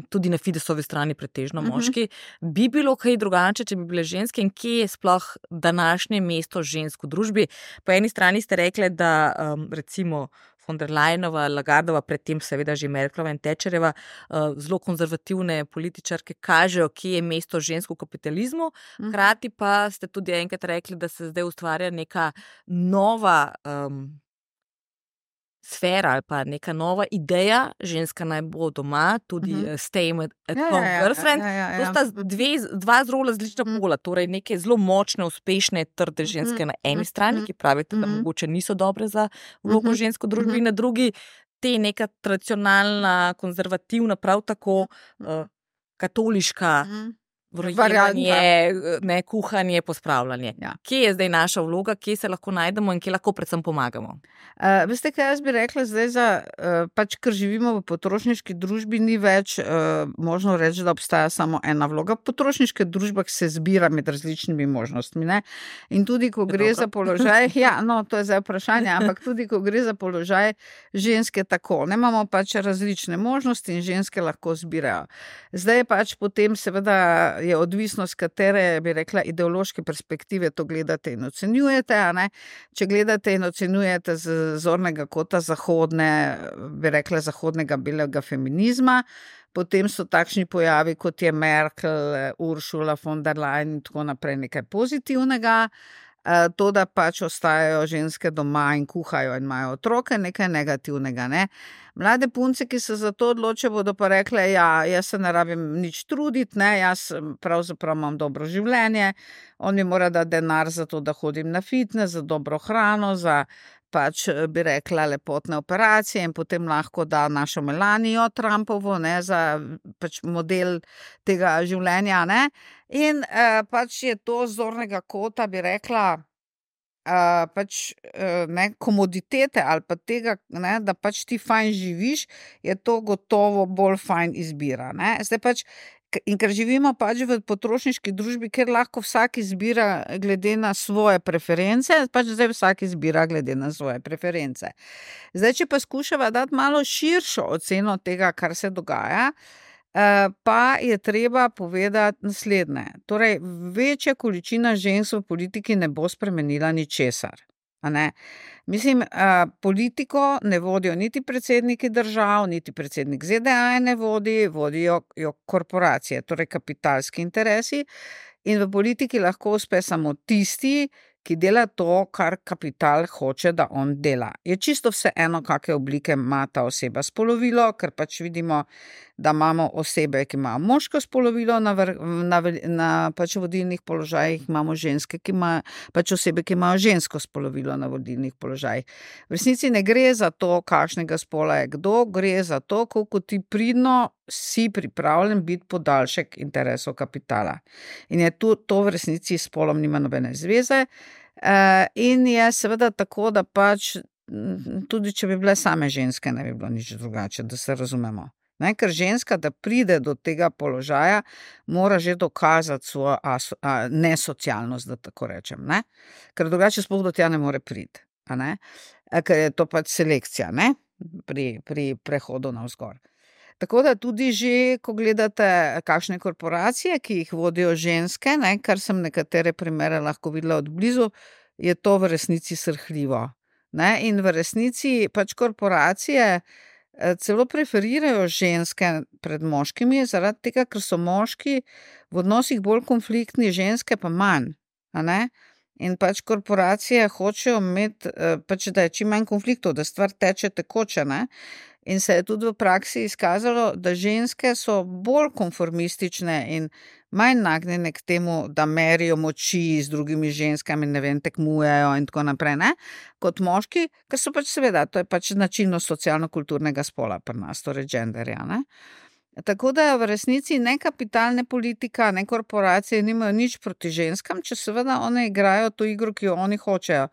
tudi na Fidesovi strani pretežno moški. Bi bilo kaj drugače, če bi bile ženske in kje je sploh današnje mesto žensk v družbi? Po eni strani ste rekli, da recimo von der Leyenova, Lagardova, predtem seveda že Merklova in Thatcherjeva, zelo konzervativne političarke kažejo, kje je mesto žensk v kapitalizmu. Hkrati pa ste tudi enkrat rekli, da se zdaj ustvarja neka nova sfera ali pa neka nova ideja, ženska naj bo doma, tudi stay at home girlfriend. To sta dva zelo različna pola, torej neke zelo močne, uspešne, trde ženske na eni strani, ki pravite, da mogoče niso dobre za vlogo žensko družbi, in na drugi te neka tradicionalna, konzervativna, prav tako katoliška vrjevanje, kuhanje, pospravljanje. Ja. Kje je zdaj naša vloga, kje se lahko najdemo in kje lahko predvsem pomagamo? Veste, kaj jaz bi rekla zdaj za, ker živimo v potrošniški družbi, ni več možno reči, da obstaja samo ena vloga. V potrošniških družbah se zbira med različnimi možnostmi, ne? In tudi, ko gre za položaj, to je zdaj vprašanje, ampak tudi, ko gre za položaj ženske tako, ne, imamo pač različne možnosti in ženske lahko zbirajo. Zdaj pač potem seveda je odvisno, z katere, bi rekla, ideološke perspektive to gledate in ocenjujete, a ne? Če gledate in ocenjujete z zornega kota zahodne, bi rekla, zahodnega belega feminizma, potem so takšni pojavi, kot je Merkel, Ursula von der Leyen in tako naprej, nekaj pozitivnega. To, da pač ostajajo ženske doma in kuhajo in imajo otroke, nekaj negativnega, ne. Mlade punce, ki se za to odločijo, bodo pa rekle, jaz se ne rabim nič truditi, ne, jaz pravzaprav imam dobro življenje, on mi mora dati denar za to, da hodim na fitness, za dobro hrano, za pač bi rekla lepotne operacije in potem lahko da našo Melanijo Trumpovo, ne, za pač model tega življenja, ne. In pač je to z zornega kota, bi rekla, ne, komoditete ali pa tega, ne, da pač ti fajn živiš, je to gotovo bolj fajn izbira, ne. Zdaj pač, in ker živimo pač v potrošniški družbi, kjer lahko vsak izbira glede na svoje preference, pač zdaj vsak izbira glede na svoje preference. Zdaj, če pa skušava dati malo širšo oceno tega, kar se dogaja, pa je treba povedati naslednje. Torej, večja količina žensk v politiki ne bo spremenila ničesar. A ne? Mislim, politiko ne vodijo niti predsedniki držav, niti predsednik ZDA ne vodijo jo korporacije, torej kapitalski interesi, in v politiki lahko uspe samo tisti, ki dela to, kar kapital hoče, da on dela. Je čisto vseeno, kakšne oblike ima ta oseba spolovilo, ker pač vidimo, da imamo osebe, ki imajo moško spolovilo na pač vodilnih položajih, imamo ženske, ki imajo, pač osebe, ki imajo žensko spolovilo na vodilnih položajih. V resnici ne gre za to, kakšnega spola je kdo, gre za to, koliko ti pridno si pripravljen biti podaljšek interesov kapitala. In je to v resnici s spolom nima nobene zveze. In je seveda tako, da pač tudi če bi bile same ženske, ne bi bilo nič drugače, da se razumemo. Ne, ker ženska, da pride do tega položaja, mora že dokazati svojo nesocialnost, da tako rečem, ne? Ker drugače sploh do tja ne more priti, a ne? Ker je to pač selekcija, ne? Pri prehodu navzgor. Tako da tudi že, ko gledate kakšne korporacije, ki jih vodijo ženske, ne, kar sem nekatere primere lahko videla od blizu, je to v resnici srhljivo. Ne, in v resnici pač korporacije celo preferirajo ženske pred moškimi, zaradi tega, ker so moški v odnosih bolj konfliktni, ženske pa manj, a ne. In pač korporacije hočejo imeti, pač da je čim manj konfliktov, da stvar teče tekoče, ne. In se je tudi v praksi izkazalo, da ženske so bolj konformistične in manj nagnjene k temu, da merijo moči z drugimi ženskami, ne vem, tekmujejo in tako naprej, ne, kot moški, ker so pač seveda, to je pač značilnost socialno-kulturnega spola pri nas, torej genderja, ne. Tako da v resnici ne kapitalne politika, ne korporacije nimajo nič proti ženskam, če seveda one igrajo to igro, ki jo oni hočejo.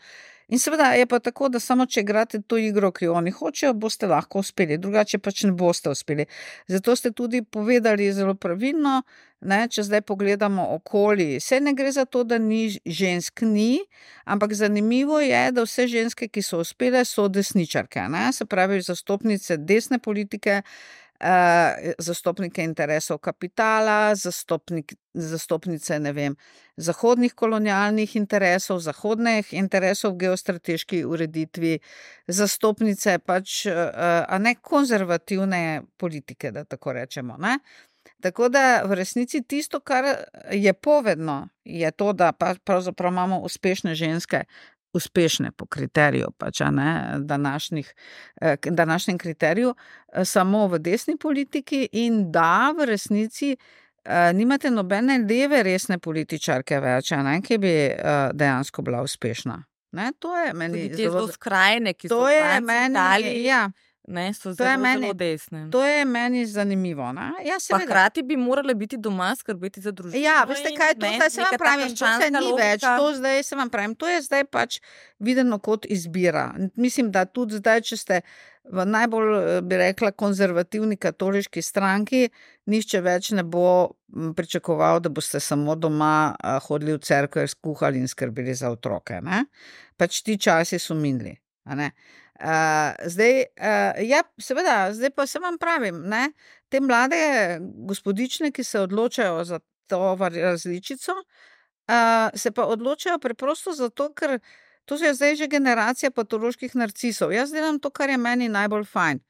In seveda je pa tako, da samo če igrate to igro, ki jo oni hočejo, boste lahko uspeli, drugače pač ne boste uspeli. Zato ste tudi povedali zelo pravilno, ne, če zdaj pogledamo okoli, se ne gre za to, da ni žensk ni, ampak zanimivo je, da vse ženske, ki so uspele, so desničarke, ne, se pravi zastopnice desne politike, zastopnike interesov kapitala, zastopnice, ne vem, zahodnih kolonialnih interesov, zahodnih interesov v geostrateški ureditvi, zastopnice pač, a ne konzervativne politike, da tako rečemo, ne. Tako da v resnici tisto, kar je povedno, je to, da pravzaprav imamo uspešne ženske, uspešne po kriteriju, pač, a ne, današnjem kriteriju, samo v desni politiki in da v resnici nimate nobene leve resne političarke več, a ne, ki bi dejansko bila uspešna. Ne, to je meni Tudi te zelo skrajne, ki so to v je Franciji, meni, Italiji, ja, ne, so to je zelo, meni- zelo desne. to je meni zanimivo, ne. Ja, Pa seveda. hkrati bi morale biti doma skrbeti za družino. Ja, veste kaj, to in, zdaj se vam neka ta pravim, to se krščanska ni logika. več, to zdaj se vam pravim, to je zdaj pač videno kot izbira. Mislim, da tudi zdaj, če ste v najbolj, bi rekla, konzervativni katoliški stranki, nihče več ne bo pričakoval, da boste samo doma hodili v cerkev, skuhali in skrbeli za otroke, ne. Pač ti časi so minili, a ne. Zdaj, ja, seveda, zdaj pa se vam pravim, ne, te mlade gospodične, ki se odločajo za to različico, se pa odločajo preprosto zato, ker to je zdaj že generacija patoloških narcisov. Jaz delam to, kar je meni najbolj fajn.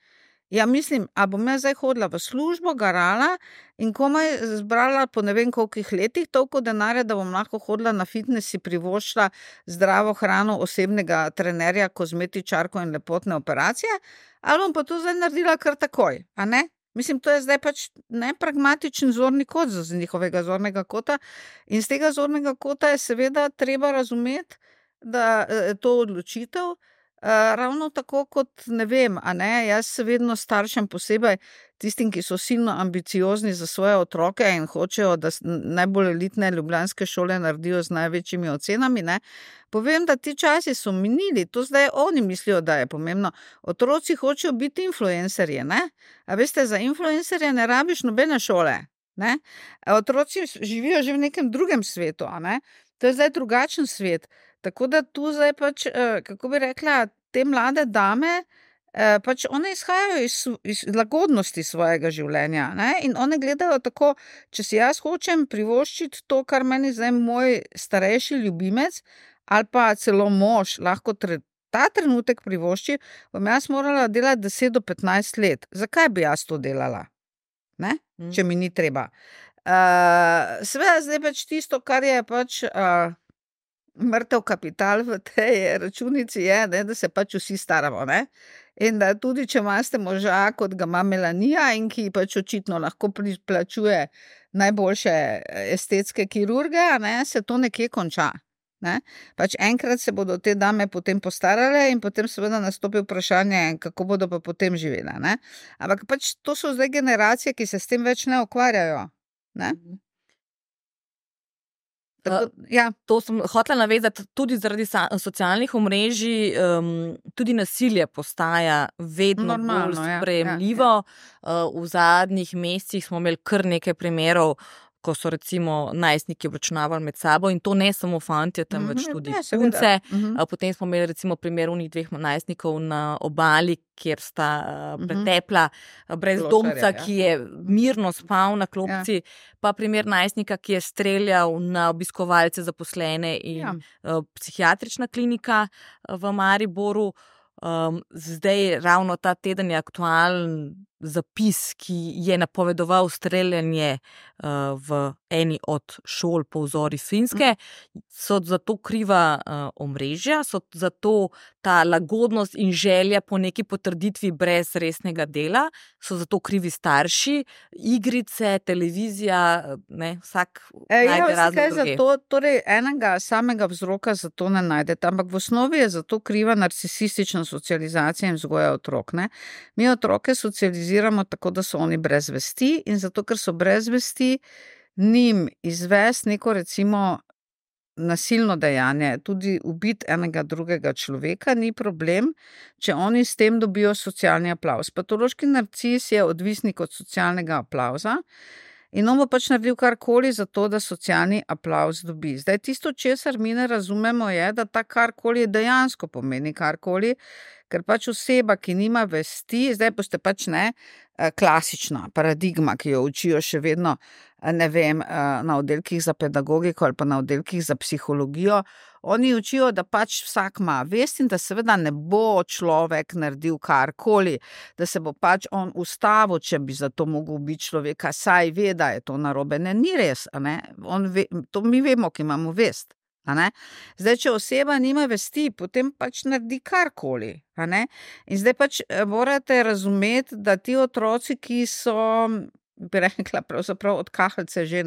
Ja, mislim, a bom jaz zdaj hodila v službo, garala in komaj zbrala po ne vem kolikih letih toliko denarja, da bom lahko hodila na fitness, si privoščila zdravo hrano, osebnega trenerja, kozmetičarko in lepotne operacije, ali bom pa to zdaj naredila kar takoj, a ne? Mislim, to je zdaj pač nepragmatičen zorni kot z njihovega zornega kota in z tega zornega kota je seveda treba razumeti, da to odločitev, ravno tako kot, ne vem, a ne, jaz se vedno staršem posebej tistim, ki so silno ambiciozni za svoje otroke in hočejo, da najbolj elitne ljubljanske šole naredijo z največjimi ocenami, ne, povem, da ti časi so minili, to zdaj oni mislijo, da je pomembno. Otroci hočejo biti influencerji, ne, a veste, za influencerje ne rabiš nobene šole, ne, otroci živijo že v nekem drugem svetu, a ne, to je zdaj drugačen svet. Tako da tu zdaj pač, kako bi rekla, te mlade dame, pač one izhajajo iz lagodnosti svojega življenja, ne, in one gledajo tako, če si jaz hočem privoščiti to, kar meni zdaj moj starejši ljubimec ali pa celo mož lahko ta trenutek privošči, bom jaz morala delati 10 do 15 let. Zakaj bi jaz to delala? Ne, če mi ni treba. Seveda zdaj pač tisto, kar je pač mrtev kapital v tej računici je, ne, da se pač vsi staramo, ne. In da tudi, če imate moža, kot ga ima Melanija in ki pač očitno lahko plačuje najboljše estetske kirurge, a ne, se to nekje konča, ne. Pač enkrat se bodo te dame potem postarale in potem seveda nastopi vprašanje, kako bodo pa potem živele, ne. Ampak pač to so zdaj generacije, ki se s tem več ne ukvarjajo, ne. Tako, ja. To sem hotela navezati tudi zaradi socialnih omrežij, tudi nasilje postaja vedno bolj sprejemljivo. V zadnjih mesecih smo imeli kar nekaj primerov, ko so recimo najstniki obračunavali med sabo in to ne samo fantje, temveč tudi punce. Potem smo imeli recimo primer unih 2 najstnikov na obali, kjer sta pretepla brezdomca, ki je mirno spal na klopci, pa primer najstnika, ki je streljal na obiskovalce, zaposlene in psihiatrična klinika v Mariboru. Zdaj ravno ta teden je aktualen zapis, ki je napovedoval streljanje v eni od šol po vzori Finske. So zato kriva omrežja, so zato ta lagodnost in želja po neki potrditvi brez resnega dela, so zato krivi starši, igrice, televizija, ne, vsak najde razne druge. Torej enega samega vzroka za to ne najdete, ampak v osnovi je zato kriva narcisistična socializacija in vzgoja otrok, ne. Mi otroke socializiramo tako, da so oni brez vesti in zato, ker so brez vesti, njim izvesti neko recimo nasilno dejanje, tudi ubiti enega drugega človeka, ni problem, če oni s tem dobijo socialni aplavz. Patološki narcis je odvisnik od socialnega aplavza in on bo pač naredil karkoli za to, da socialni aplavz dobi. Zdaj tisto, česar mi ne razumemo, je, da ta karkoli dejansko pomeni karkoli, ker pač oseba, ki nima vesti, zdaj boste pač klasična paradigma, ki jo učijo še vedno, ne vem, na oddelkih za pedagogiko ali pa na oddelkih za psihologijo, oni učijo, da pač vsak ima vest in da seveda ne bo človek naredil karkoli, da se bo pač on ustavil, če bi za to mogel biti človeka, saj ve, da je to narobe. Ne, ni res, to mi vemo, ki imamo vest. Zdaj, če oseba nima vesti, potem pač naredi karkoli. In zdaj pač morate razumeti, da ti otroci, ki so, bi rekla, pravzaprav od kahlice že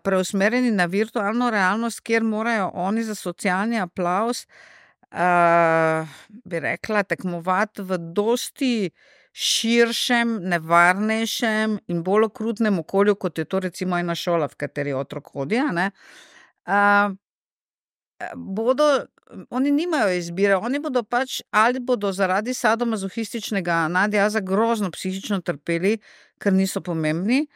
preusmerjeni na virtualno realnost, kjer morajo oni za socialni aplavz, bi rekla, tekmovati v dosti širšem, nevarnejšem in bolj okrutnem okolju, kot je to recimo ena šola, v kateri otrok hodi, oni nimajo izbire, oni bodo pač ali bodo zaradi sadomazohističnega nadjaza grozno psihično trpeli, ker niso pomembni,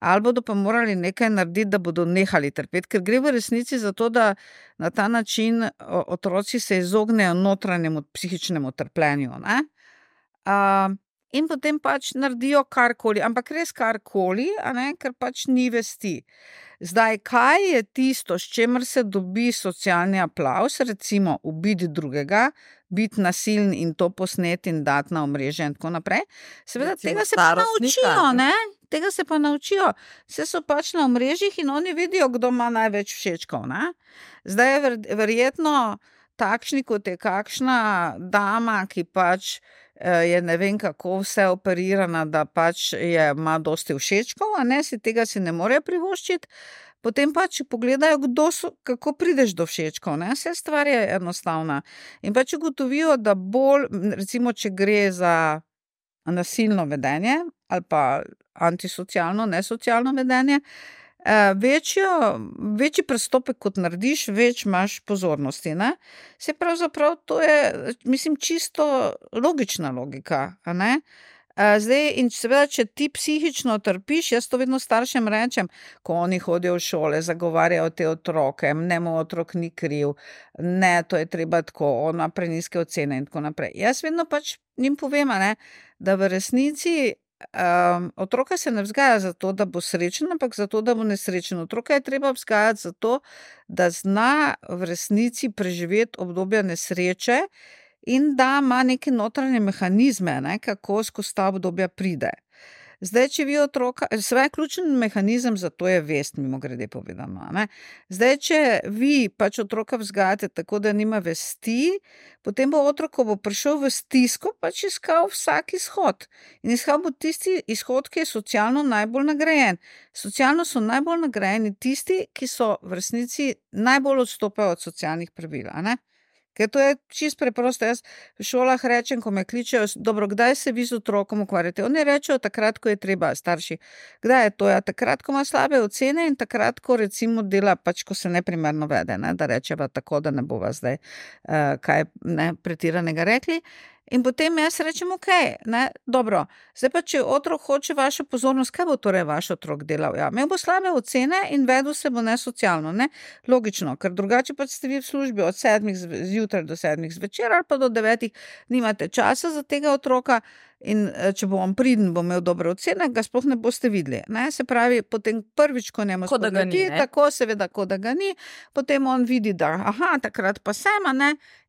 ali bodo pa morali nekaj narediti, da bodo nehali trpeti, ker gre v resnici za to, da na ta način otroci se izognejo notranjemu psihičnemu trpljenju, in potem pač naredijo karkoli, ampak res karkoli, ker pač ni vesti. Zdaj, kaj je tisto, s čemer se dobi socialni aplavz, recimo ubiti drugega, biti nasilen in to posneti in dati na omrežje in tako naprej. Seveda, tega se pa naučijo, Tega se pa naučijo. Vse so pač na omrežjih in oni vidijo, kdo ima največ všečkov, Zdaj je verjetno takšni, kot je kakšna dama, ki pač je ne vem kako vse operirana, da pač ima dosti všečkov, tega si ne morejo privoščiti, potem pač pogledajo, kako prideš do všečkov, Vse stvar je enostavna. In pač ugotovijo, da bolj, recimo, če gre za nasilno vedenje ali pa antisocialno, nesocialno vedenje, večji prestopek, kot narediš, več imaš pozornosti, Se pravzaprav to je, mislim, čisto logična logika, Zdaj, in seveda, če ti psihično trpiš, jaz to vedno staršem rečem, ko oni hodijo v šole, zagovarjajo te otroke, moj otrok ni kriv, to je treba tako, on ima prenizke ocene in tako naprej. Jaz vedno pač njim povem, da v resnici otroka se ne vzgaja zato, da bo srečen, ampak zato, da bo nesrečen. Otroka je treba vzgajati zato, da zna v resnici preživeti obdobja nesreče in da ima neke notranje mehanizme, kako skozi ta obdobja pride. Zdaj, če vi otroka, seveda ključen mehanizem za to je vest, mimogrede povedano, Zdaj, če vi pač otroka vzgajate tako, da nima vesti, potem bo otrok, ko bo prišel v stisko, pač iskal vsak izhod. In iskal bo tisti izhod, ki je socialno najbolj nagrajen. Socialno so najbolj nagrajeni tisti, ki so v resnici najbolj odstopajo od socialnih pravil, Ker to je čisto preprosto. Jaz v šolah rečem, ko me kličejo, dobro, kdaj se vi z otrokom ukvarjate? Oni rečejo takrat, ko je treba, starši. Kdaj je to? Ja, takrat, ko ima slabe ocene in takrat, ko recimo dela, pač ko se neprimerno vede, da rečeva tako, da ne bova zdaj kaj pretiranega rekli. In potem jaz rečem, dobro, zdaj pa, če otrok hoče vašo pozornost, kaj bo torej vaš otrok delal? Ja, imel bo slabe ocene in vedel se bo nesocialno, Logično, ker drugače pa ste vi v službi od 7 zjutraj do 7 zvečer ali pa do 9, nimate časa za tega otroka in če bo on priden, bo imel dobre ocene, ga sploh ne boste videli, Se pravi, potem prvič, ko njemu spodleti, tako seveda, kot da ga ni, potem on vidi, da takrat pa sem,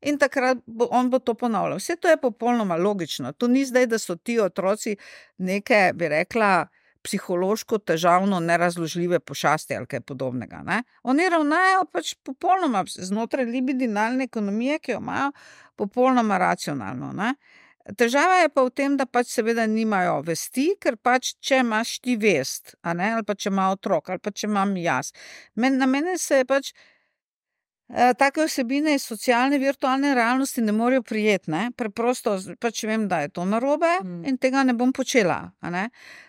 in takrat on bo to ponavljal. Vse to je popolnoma logično. To ni zdaj, da so ti otroci neke, bi rekla, psihološko težavno nerazložljive pošasti ali kaj podobnega, Oni ravnajo pač popolnoma znotraj libidinalne ekonomije, ki jo imajo popolnoma racionalno, Težava je pa v tem, da pač seveda nimajo vesti, ker pač, če imaš ti vest, ali pa če ima otrok, ali pa če imam jaz. Na mene se pač take vsebine iz socialne virtualne realnosti ne morejo prijeti, Preprosto pač vem, da je to narobe in tega ne bom počela,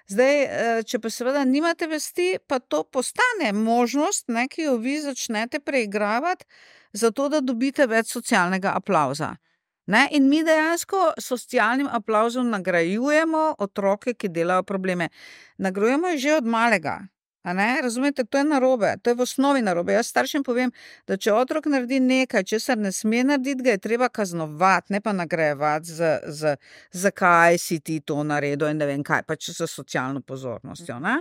Zdaj, če pa seveda nimate vesti, pa to postane možnost, ki jo vi začnete preigravati, zato da dobite več socialnega aplavza. In mi dejansko s socialnim aplavzom nagrajujemo otroke, ki delajo probleme. Nagrajujemo jih že od malega. Razumete, to je narobe, to je v osnovi narobe. Jaz staršem povem, da če otrok naredi nekaj, česar ne sme narediti, ga je treba kaznovati, ne pa nagrajevati zakaj si ti to naredil in ne vem kaj, pač za socialno pozornostjo, ne.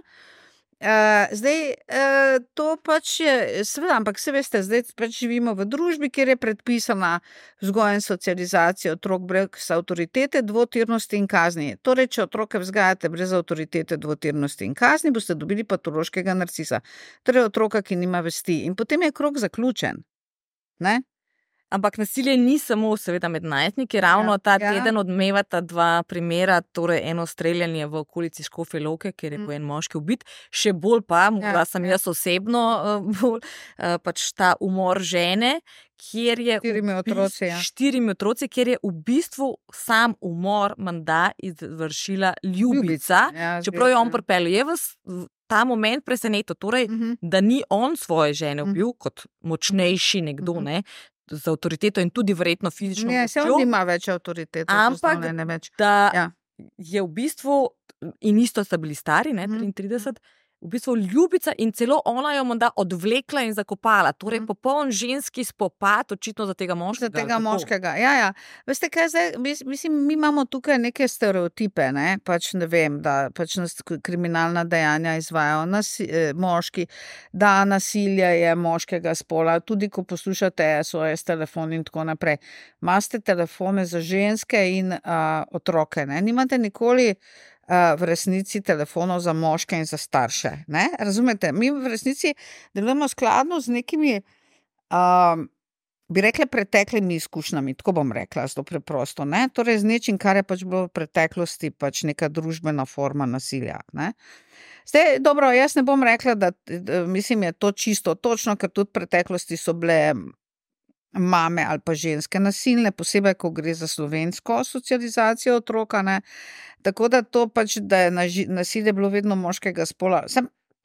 To pač je, seveda, ampak se veste, zdaj pač živimo v družbi, kjer je predpisana vzgoja in socializacija otrok brez avtoritete, dvotirnosti in kazni. Torej, če otroke vzgajate brez avtoritete, dvotirnosti in kazni, boste dobili patološkega narcisa. Torej, otroka, ki nima vesti. In potem je krog zaključen. Ne? Ampak nasilje ni samo seveda med najstniki, ravno ta teden odmevata dva primera, torej eno streljanje v okolici Škofje Loke, kjer je en moški ubit, še bolj pa, morda sem jaz osebno bolj, pač ta umor žene, kjer je štirimi otroci, kjer je v bistvu sam umor menda izvršila ljubica, čeprav je on pripeljal. Je vas ta moment presenetil, torej, da ni on svoje žene ubil kot močnejši nekdo, ne, z avtoriteto in tudi verjetno fizično močjo. Ne, se on nima več avtoritete. Ampak da je v bistvu, in isto sta bili stari, ne, 33, v bistvu ljubica in celo ona jo menda odvlekla in zakopala. Torej, popoln ženski spopad, očitno za tega moškega. Za tega moškega, ja. Veste kaj, zdaj, mislim, mi imamo tukaj neke stereotipe, ne, pač ne vem, da pač nas kriminalna dejanja izvajajo moški, da nasilje je moškega spola, tudi ko poslušate SOS telefon in tako naprej. Imate telefone za ženske in otroke, ne, nimate nikoli v resnici telefonov za moške in za starše, ne, razumete, mi v resnici delujemo skladno z nekimi, bi rekla, preteklimi izkušnjami, tako bom rekla, zelo preprosto, ne, torej z nečim, kar je pač bilo v preteklosti pač neka družbena forma nasilja, ne. Zdaj, dobro, jaz ne bom rekla, da mislim, je to čisto točno, ker tudi v preteklosti so bile mame ali pa ženske nasilne, posebej, ko gre za slovensko socializacijo otroka, ne. Tako da to pač, da je nasilje bilo vedno moškega spola,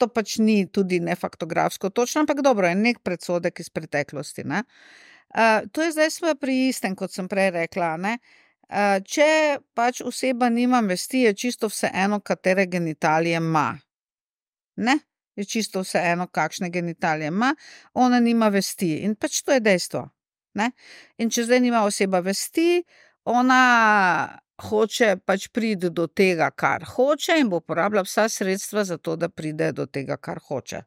to pač ni tudi ne faktografsko točno, ampak dobro, je nek predsodek iz preteklosti, ne. To je zdaj sva pri istem, kot sem prej rekla, ne. Če pač oseba nima vesti, je čisto vseeno, katere genitalije ima. Ne? Je čisto vseeno, kakšne genitalije ima, ona nima vesti in pač to je dejstvo, ne. In če zdaj nima oseba vesti, ona hoče pač priti do tega, kar hoče in bo uporabljala vsa sredstva za to, da pride do tega, kar hoče.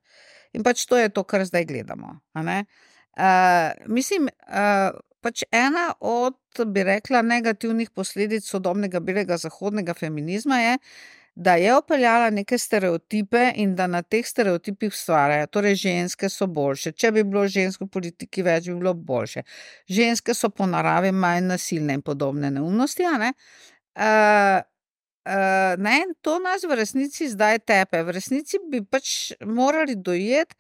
In pač to je to, kar zdaj gledamo, a ne. Mislim, pač ena od, bi rekla, negativnih posledic sodobnega belega zahodnega feminizma je, da je vpeljala neke stereotipe in da na teh stereotipih ustvarjajo. Torej, ženske so boljše. Če bi bilo žensk v politiki več, bi bilo boljše. Ženske so po naravi manj nasilne in podobne neumnosti, a ne. Ne, to nas v resnici zdaj tepe. V resnici bi pač morali dojeti,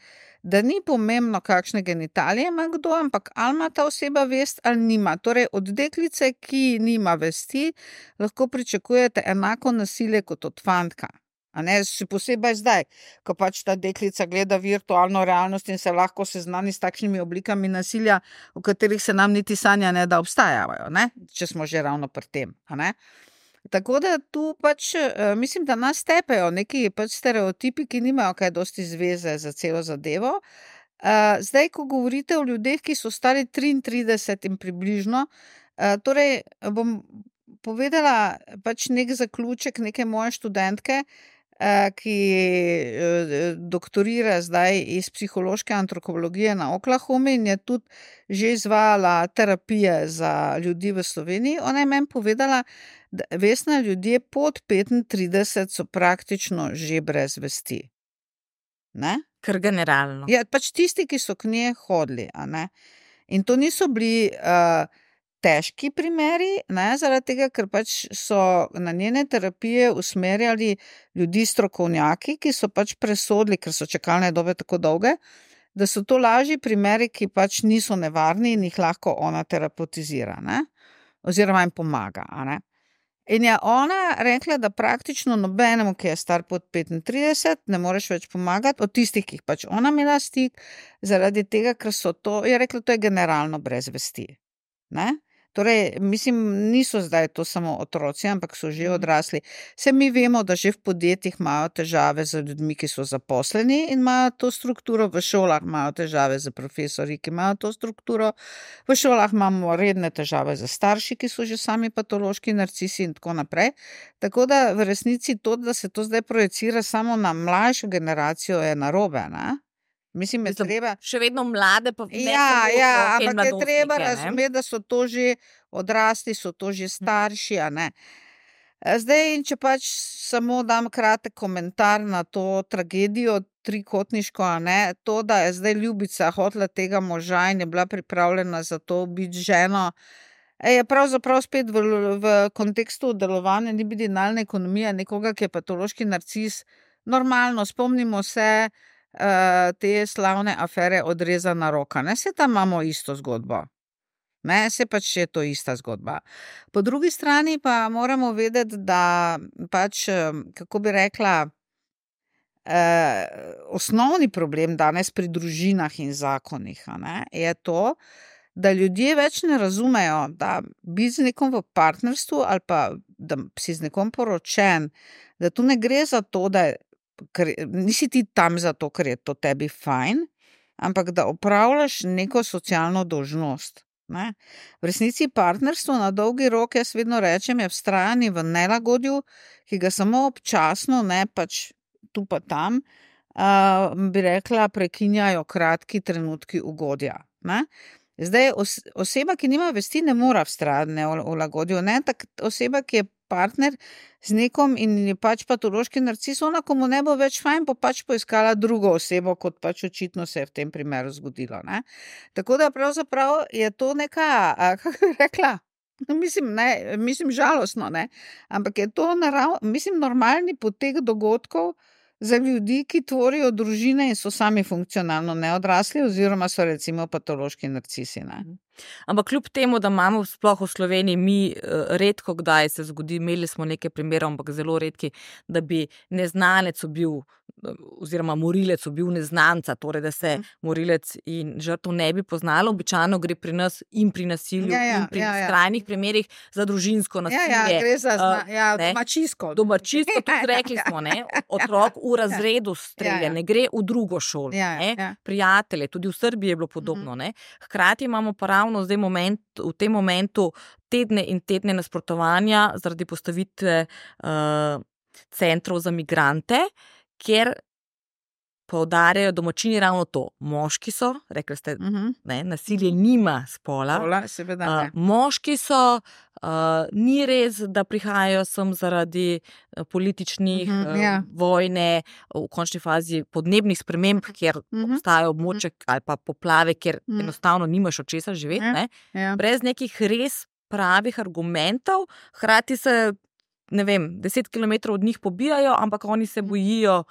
da ni pomembno, kakšne genitalije ima kdo, ampak ali ima ta oseba vest ali nima. Torej, od deklice, ki nima vesti, lahko pričakujete enako nasilje kot od fantka. A ne, še posebej zdaj, ko pač ta deklica gleda virtualno realnost in se lahko seznani s takšnimi oblikami nasilja, v katerih se nam niti sanja ne da obstajajo, ne, če smo že ravno pri tem, a ne. Tako da tu pač, mislim, da nas tepejo neki pač stereotipi, ki nimajo kaj dosti zveze za celo zadevo. Zdaj, ko govorite o ljudeh, ki so stari 33 in približno, torej bom povedala pač nek zaključek neke moje študentke, ki doktorira zdaj iz psihološke antropologije na Oklahomi in je tudi že izvajala terapije za ljudi v Sloveniji. Ona je meni povedala, da Vesna, ljudje pod 35 so praktično že brez vesti. Ne? Kar generalno. Ja, pač tisti, ki so k njej hodili, a ne. In to niso bili težki primeri, ne, zaradi tega, ker pač so na njene terapije usmerjali ljudi strokovnjaki, ki so pač presodili, ker so čakalne dobe tako dolge, da so to lažji primeri, ki pač niso nevarni in jih lahko ona terapeutizira, ne, oziroma jim pomaga, a ne. In je ona rekla, da praktično nobenemu, ki je star pod 35, ne moreš več pomagati, od tistih, ki jih pač ona imela stik, zaradi tega, ker so to, je rekla, to je generalno brez vesti, ne. Torej, mislim, niso zdaj to samo otroci, ampak so že odrasli. Se mi vemo, da že v podjetjih imajo težave z ljudmi, ki so zaposleni in imajo to strukturo, v šolah imajo težave z profesorji, ki imajo to strukturo, v šolah imamo redne težave z starši, ki so že sami patološki narcisi in tako naprej. Tako da v resnici to, da se to zdaj projicira samo na mlajšo generacijo, je narobe, ne? Mislim, je treba... Še vedno mlade, pa ne ampak je treba razumeti, da so to že odrasli, so to že starši, a ne. Zdaj, in če pač samo dam kratek komentar na to tragedijo trikotniško, a ne, to, da je zdaj Ljubica hotela tega moža in je bila pripravljena za to biti ženo, je pravzaprav spet v kontekstu delovanja libidinalne ekonomije nekoga, ki je patološki narcis. Normalno, spomnimo se te slavne afere Odrezana roka. Ne, se tam imamo isto zgodbo. Ne, se pač je to ista zgodba. Po drugi strani pa moramo vedeti, da pač, kako bi rekla, osnovni problem danes pri družinah in zakonih, a ne, je to, da ljudje več ne razumejo, da biti z nekom v partnerstvu ali pa da si z nekom poročen, da tu ne gre za to, da nisi ti tam zato, ker je to tebi fajn, ampak da opravljaš neko socialno dolžnost. Ne? V resnici partnerstvo na dolgi rok, jaz vedno rečem, je vztrajanje v nelagodju, ki ga samo občasno, ne pač tu pa tam, bi rekla, prekinjajo kratki trenutki ugodja. Ne? Zdaj, oseba, ki nima vesti, ne mora vztrajati v lagodju, ne? Oseba, ki je partner z nekom in je pač patološki narcis, ona, ko mu ne bo več fajn, bo pač poiskala drugo osebo, kot pač očitno se je v tem primeru zgodilo. Ne? Tako da pravzaprav je to neka, kako bi rekla, mislim žalostno, ne? Ampak je to normalni potek dogodkov za ljudi, ki tvorijo družine in so sami funkcionalno neodrasli oziroma so recimo patološki narcisi. Ne? Ampak kljub temu, da imamo sploh v Sloveniji, mi redko kdaj se zgodi, imeli smo nekaj primerov, ampak zelo redki, da bi neznanec bil oziroma morilec bil neznanca, torej da se morilec in žrtev ne bi poznalo. Običajno gre pri nas in pri nasilju in pri skrajnih primerih za družinsko nasilje. Gre za domačijsko. Domačijsko, tudi rekli smo, ne? Otrok v razredu strelja, ne gre v drugo šolo. Prijatelje, tudi v Srbiji je bilo podobno. Ne? Hkrati imamo pa ravno zdaj v tem momentu tedne in tedne nasprotovanja zaradi postavitve centrov za migrante, kjer poudarjajo domačini ravno to. Moški so, rekli ste, ne, nasilje nima spola. Seveda ne. Moški so, ni res, da prihajajo sem zaradi političnih vojne, v končni fazi podnebnih sprememb, kjer obstajajo območja ali pa poplave, kjer enostavno nimaš od česa živeti, ne? Brez nekih res pravih argumentov, hkrati se, ne vem, 10 kilometrov od njih pobijajo, ampak oni se bojijo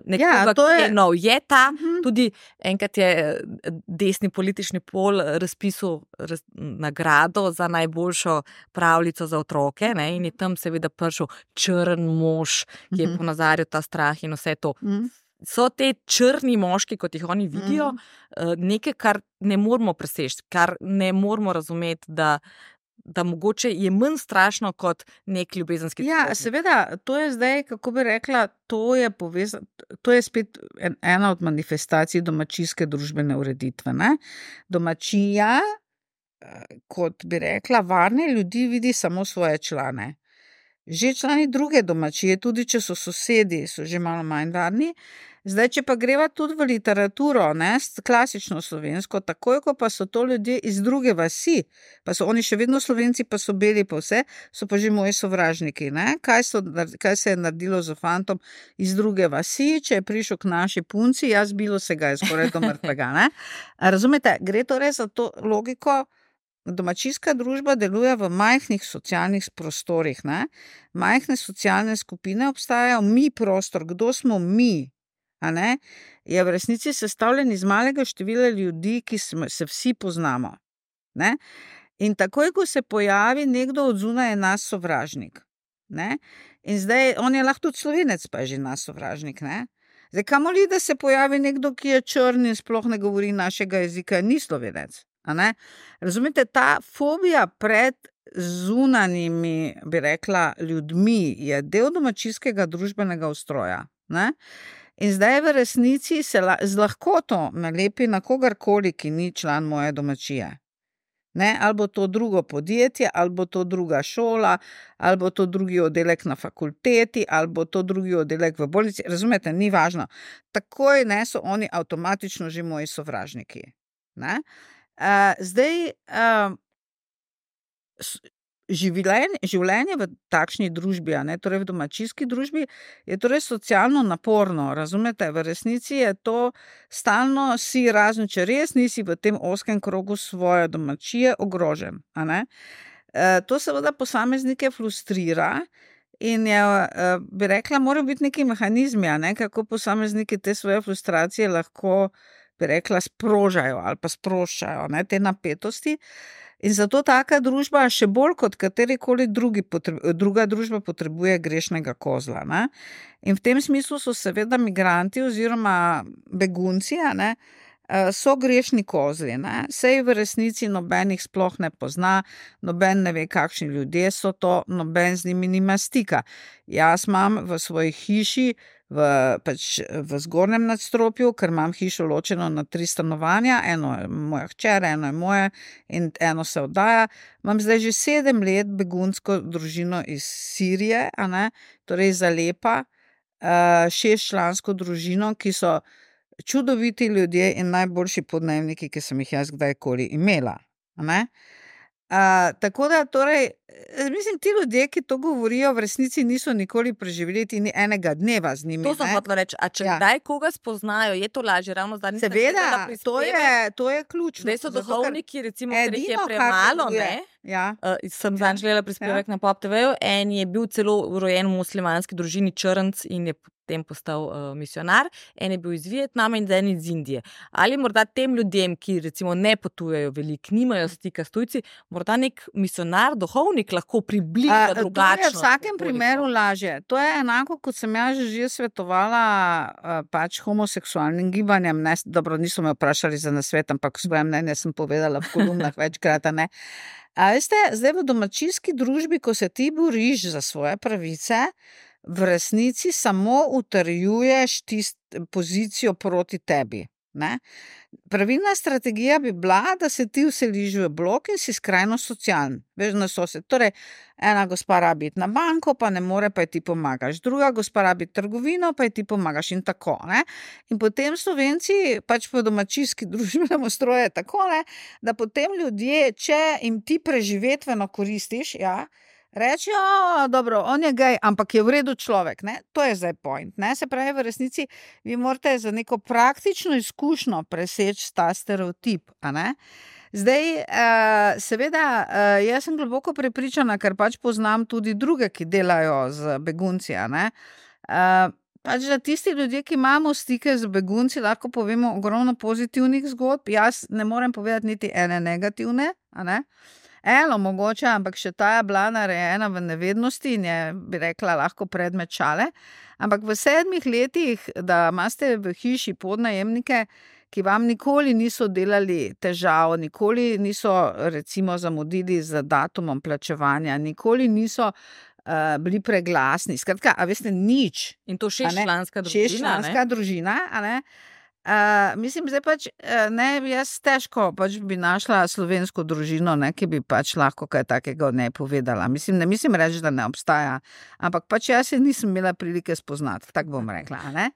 nekoga, ki je nov. Je ta, tudi enkrat je desni politični pol razpisal nagrado za najboljšo pravljico za otroke, ne, in je tam seveda prišel črn mož, ki je ponazarjal ta strah in vse to. So te črni moški, kot jih oni vidijo, nekaj, kar ne moramo preseči, kar ne moramo razumeti, da mogoče je manj strašno kot nek ljubezenski trikotnik. Seveda, to je zdaj, kako bi rekla, to je spet ena od manifestacij domačijske družbene ureditve. Ne? Domačija, kot bi rekla, varne ljudi vidi samo svoje člane. Že člani druge domačije, tudi če so sosedi, so že malo manj varni. Zdaj, če pa greva tudi v literaturo, ne, klasično slovensko, takoj, ko pa so to ljudje iz druge vasi, pa so oni še vedno Slovenci, pa so beli pa vse, so pa že moji sovražniki. Ne? Kaj se je naredilo z fantom iz druge vasi, če je prišel k naši punci, jaz bilo se ga je skoraj do mrtvega. Ne? Razumete, gre torej za to logiko. Domačijska družba deluje v majhnih socialnih prostorih. Ne? Majhne socialne skupine obstajajo, mi prostor, kdo smo mi, a ne? Je v resnici sestavljen iz malega števila ljudi, ki se vsi poznamo. Ne? In takoj, ko se pojavi nekdo od zunaj, je nas sovražnik. Ne? In zdaj, on je lahko tudi Slovenec, pa je že nas sovražnik. Ne? Zdaj, kamoli, da se pojavi nekdo, ki je črn in sploh ne govori našega jezika, ni Slovenec. Razumete, ta fobija pred zunanjimi, bi rekla, ljudmi je del domačijskega družbenega ustroja. Ne? In zdaj v resnici se z lahkoto nalepi na kogarkoli, ki ni član moje domačije. Ne? Ali bo to drugo podjetje, ali bo to druga šola, ali bo to drugi oddelek na fakulteti, ali bo to drugi oddelek v bolnici. Razumete, ni važno. Takoj ne, so oni avtomatično že moji sovražniki. Ne? Zdaj, življenje v takšni družbi, torej v domačijski družbi, je torej socialno naporno, razumete? V resnici je to stalno si, razen če res nisi v tem ozkem krogu svoje domačije, ogrožen. To seveda posameznike frustrira in je, bi rekla, morajo biti neki mehanizmi, kako posamezniki te svoje frustracije lahko, bi rekla, sprožajo ali pa sproščajo te napetosti. In zato taka družba še bolj kot katerikoli druga družba potrebuje grešnega kozla. In v tem smislu so seveda migranti oziroma begunci, so grešni kozli. Sej v resnici noben jih sploh ne pozna, noben ne ve, kakšni ljudje so to, noben z njimi nima stika. Jaz imam v svoji hiši v zgornjem nadstropju, ker imam hišo ločeno na 3 stanovanja, eno je moja hčer, eno je moje in eno se oddaja. Imam zdaj že 7 let begunsko družino iz Sirije, torej iz Alepa, 6-člansko družino, ki so čudoviti ljudje in najboljši podnajemniki, ki sem jih jaz kdajkoli imela. Tako da, torej, mislim, ti ljudje, ki to govorijo, v resnici niso nikoli preživeli ni enega dneva z njimi. To sem hotela reči, a če kdaj koga spoznajo, je to lažje, ravno zdaj nisem seveda, to je ključno. Zdaj so duhovniki, recimo, ker jih je premalo, sem zanj želela prispevek na Pop TV-ju, en je bil celo rojen v muslimanski družini črnc in je potem postal misionar, en je bil iz Vietnama in en iz Indije. Ali morda tem ljudem, ki recimo ne potujejo veliko, nimajo stika s tujci, morda nek misionar, duhovnik lahko približa drugačno. To je v vsakem primeru lažje. To je enako, kot sem jaz že svetovala pač homoseksualnim gibanjem. Dobro, niso me vprašali za nasvet, ampak svoje mnenje sem povedala v kolumnah večkrat, A veste, zdaj v domačijski družbi, ko se ti boriš za svoje pravice, v resnici samo utrjuješ pozicijo proti tebi. Pravilna strategija bi bila, da se ti vseliš v blok in si skrajno socialen. Veš, na sosed. Torej, ena gospa rabi iti na banko, pa ne more, pa ti pomagaš. Druga gospa rabi trgovino, pa ti pomagaš in tako. In potem Slovenci pač po domačijski družbenem ustroju je tako, da potem ljudje, če jim ti preživetveno koristiš, reči, dobro, on je gej, ampak je v redu človek, to je zdaj point, se pravi, v resnici vi morate za neko praktično izkušnjo preseči ta stereotip, Zdaj, seveda, jaz sem globoko prepričana, ker pač poznam tudi druge, ki delajo z begunci, pač da tisti ljudje, ki imamo stike z begunci, lahko povemo ogromno pozitivnih zgodb, jaz ne morem povedati niti ene negativne, Eno mogoče, ampak še ta je bila narejena v nevednosti in je, bi rekla, lahko predmet šale. Ampak v 7 letih, da imate v hiši podnajemnike, ki vam nikoli niso delali težav, nikoli niso recimo zamudili z datumom plačevanja, nikoli niso bili preglasni. Skratka, a veste, nič. In to 6-članska družina. 6-članska družina, mislim, zdaj pač, jaz težko pač bi našla slovensko družino, ki bi pač lahko kaj takega ne povedala. Mislim, ne mislim reči, da ne obstaja, ampak pač jaz se nisem imela prilike spoznati, tako bom rekla,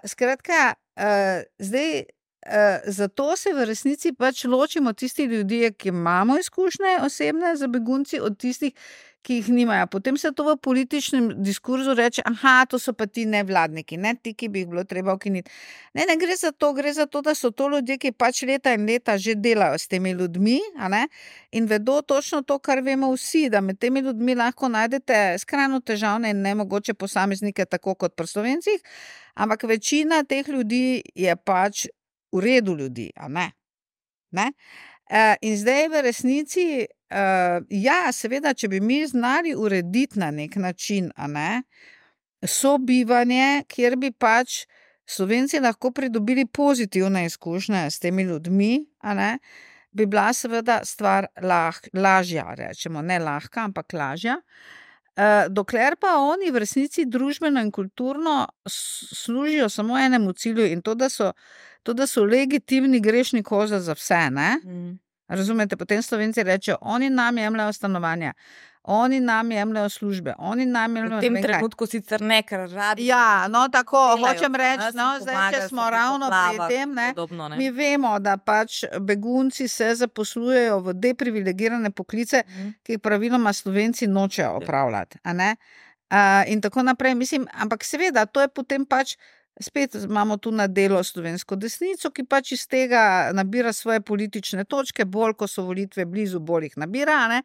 Skratka, zdaj, zato se v resnici pač ločimo tisti ljudje, ki imamo izkušnje osebne za begunci, od tistih, ki jih nimajo. Potem se to v političnem diskurzu reče, to so pa ti nevladniki, ti, ki bi jih bilo treba ukiniti. Ne gre za to, da so to ljudje, ki pač leta in leta že delajo s temi ljudmi, in vedo točno to, kar vemo vsi, da med temi ljudmi lahko najdete skrajno težavne in nemogoče posameznike, tako kot pri Slovencih, ampak večina teh ljudi je pač v redu ljudi, In zdaj v resnici, seveda, če bi mi znali urediti na nek način, sobivanje, kjer bi pač Slovenci lahko pridobili pozitivne izkušnje s temi ljudmi, bi bila seveda stvar lažja, rečemo, ne lahka, ampak lažja. Dokler pa oni v resnici družbeno in kulturno služijo samo enemu cilju in to, da so legitimni grešni koza za vse, ne? Razumete, potem Slovenci rečejo, oni nam jemljajo stanovanja, oni nam jemljajo službe, oni nam jemljajo... V tem trenutku sicer ne, ker radi... Ja, no tako, delajo, hočem reči, no, zdaj, če smo ravno pri tem, ne, podobno, ne, mi vemo, da pač begunci se zaposlujejo v deprivilegirane poklice, ki jih praviloma Slovenci nočejo opravljati, a ne? In tako naprej, mislim, ampak seveda, to je potem pač spet imamo tu na delo slovensko desnico, ki pač iz tega nabira svoje politične točke, bolj, ko so volitve blizu, bolj jih nabira, ne?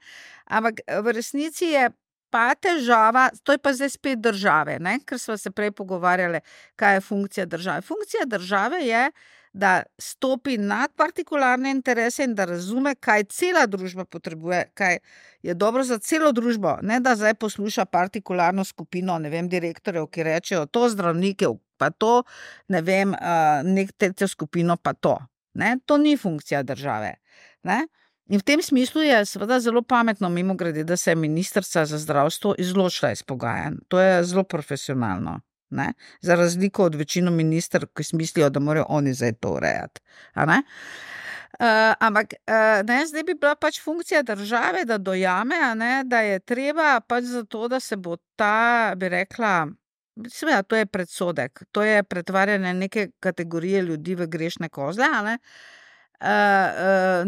Ampak v resnici je pa težava, to je pa zdaj spet države, ne? Ker smo se prej pogovarjali, kaj je funkcija države. Funkcija države je, da stopi nad partikularne interese in da razume, kaj cela družba potrebuje, kaj je dobro za celo družbo, ne da zdaj posluša partikularno skupino, ne vem, direktorjev, ki rečejo, to zdravnike, pa to, ne vem, nek tretjo skupino, pa to. Ne? To ni funkcija države. Ne? In v tem smislu je seveda zelo pametno, mimogrede, da se je ministrica za zdravstvo izločila iz pogajanj. To je zelo profesionalno. Ne? Za razliko od večino ministrov, ki mislijo, da morajo oni zdaj to urejati. Ampak ne, zdaj bi bila pač funkcija države, da dojame, ne, da je treba pač zato, da se bo ta, bi rekla, seveda, to je predsodek, to je pretvarjanje neke kategorije ljudi v grešne kozle, ne?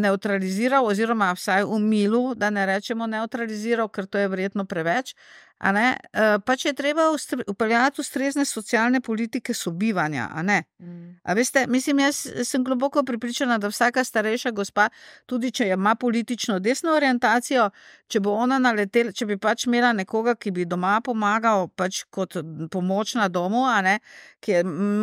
Neutraliziral oziroma vsaj umilil, da ne rečemo neutraliziral, ker to je verjetno preveč, a ne? Pač je treba upeljati ustrezne socialne politike sobivanja, a ne? A veste, mislim, jaz sem globoko prepričana, da vsaka starejša gospa, tudi če ima politično desno orientacijo, če bo ona naletela, če bi pač imela nekoga, ki bi doma pomagal pač kot pomoč na domu, a ne, ki je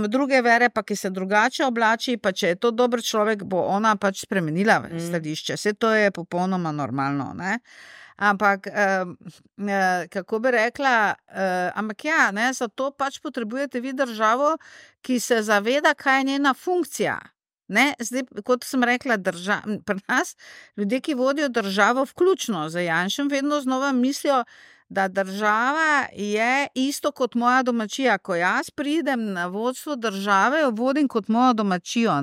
druge vere, pa ki se drugače oblači, pa če je to dober človek, bo ona pač spremenila stališče. Vse to je popolnoma normalno, ne? Ampak, kako bi rekla, ampak ja, ne, zato pač potrebujete vi državo, ki se zaveda, kaj je njena funkcija. Ne, zdaj, kot sem rekla, pri nas ljudje, ki vodijo državo vključno z Janšem, vedno znova mislijo, da država je isto kot moja domačija. Ko jaz pridem na vodstvo države, jo vodim kot mojo domačijo.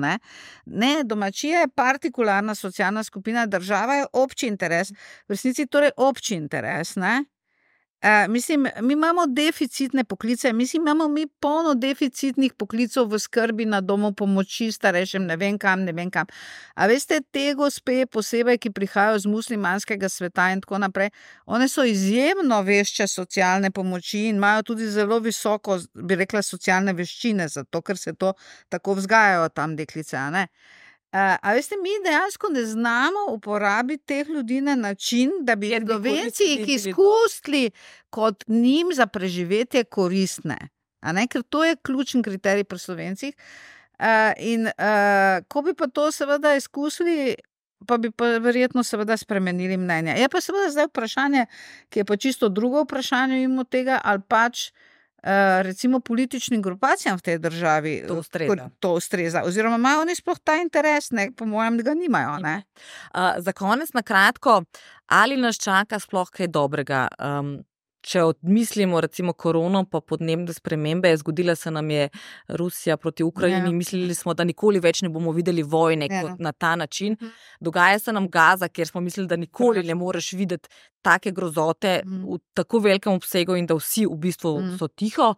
Ne, domačija je partikularna socialna skupina, država je obči interes. V resnici torej obči interes, ne. Mislim, mi imamo deficitne poklice, imamo mi polno deficitnih poklicov v skrbi na domu, pomoči starejšim, ne vem kam. A veste, te gospe posebej, ki prihajajo z muslimanskega sveta in tako naprej, one so izjemno vešče socialne pomoči in imajo tudi zelo visoko, bi rekla, socialne veščine, zato ker se to tako vzgajajo tam deklice, a ne? A veste, mi dejansko ne znamo uporabiti teh ljudi na način, da bi Slovenci jih izkusili kot njim za preživetje koristne. A ne? Ker to je ključen kriterij pri Slovencih. Ko bi pa to seveda izkusili, pa bi pa verjetno seveda spremenili mnenje. Je pa seveda zdaj vprašanje, ki je pa čisto drugo vprašanje mimo tega, ali pač recimo političnim grupacijam v tej državi to ustreza. Oziroma imajo oni sploh ta interes, ne? Po mojem, da ga nimajo. Ne? Za konec na kratko, ali nas čaka sploh kaj dobrega? Če odmislimo recimo korono pa podnebne spremembe, zgodila se nam je Rusija proti Ukrajini, mislili smo, da nikoli več ne bomo videli vojne kot na ta način. Dogaja se nam Gaza, kjer smo mislili, da nikoli ne moreš videti take grozote v tako velikem obsegu in da vsi v bistvu so tiho.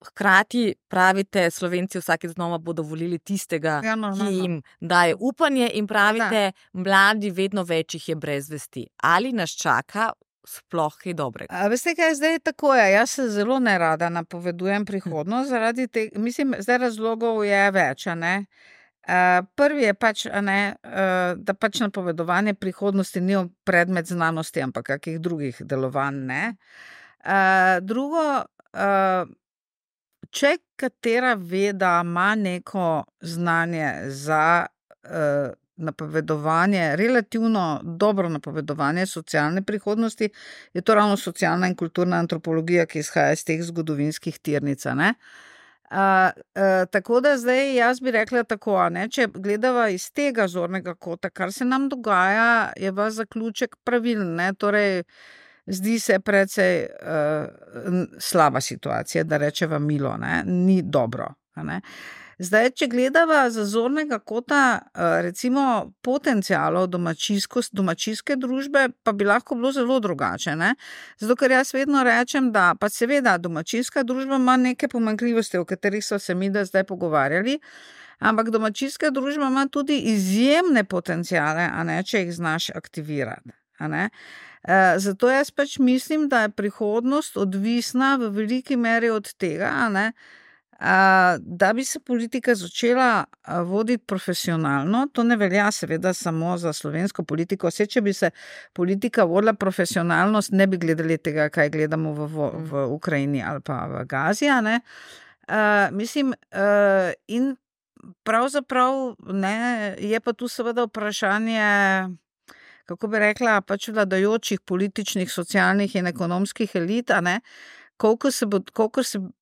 Hkrati pravite, Slovenci vsakeč znova bodo volili tistega, ki jim daje upanje in pravite, mladi vedno več jih je brez vesti. Ali nas čaka sploh kaj dobrega? Veste kaj, zdaj tako je. Jaz se zelo nerada napovedujem prihodnost, zaradi tega, mislim, zdaj razlogov je več, a ne. Prvi je pač, a ne, da pač napovedovanje prihodnosti ni predmet znanosti, ampak kakih drugih delovanj, ne. Drugo, če katera veda ima neko znanje za napovedovanje, relativno dobro napovedovanje socialne prihodnosti, je to ravno socialna in kulturna antropologija, ki izhaja iz teh zgodovinskih tirnic, ne. Tako da zdaj jaz bi rekla tako, ne, če gledava iz tega zornega kota, kar se nam dogaja, je vaš zaključek pravilen, ne, torej zdi se precej slaba situacija, da rečeva milo, ne, ni dobro, ne. Zdaj, če gledava z zornega kota, recimo potencialov domačijske družbe, pa bi lahko bilo zelo drugače, ne. Zato, ker jaz vedno rečem, da pa seveda domačijska družba ima neke pomanjkljivosti, o katerih so se mi da zdaj pogovarjali, ampak domačijska družba ima tudi izjemne potenciale, a ne, če jih znaš aktivirati, a ne. Zato jaz pač mislim, da je prihodnost odvisna v veliki meri od tega, a ne, da bi se politika začela voditi profesionalno. To ne velja seveda samo za slovensko politiko. Vse, če bi se politika vodila profesionalno, ne bi gledali tega, kaj gledamo v Ukrajini ali pa v Gazi, a ne. Mislim, in pravzaprav ne, je pa tu seveda vprašanje, kako bi rekla, pač vladajočih političnih, socialnih in ekonomskih elit, a ne, koliko se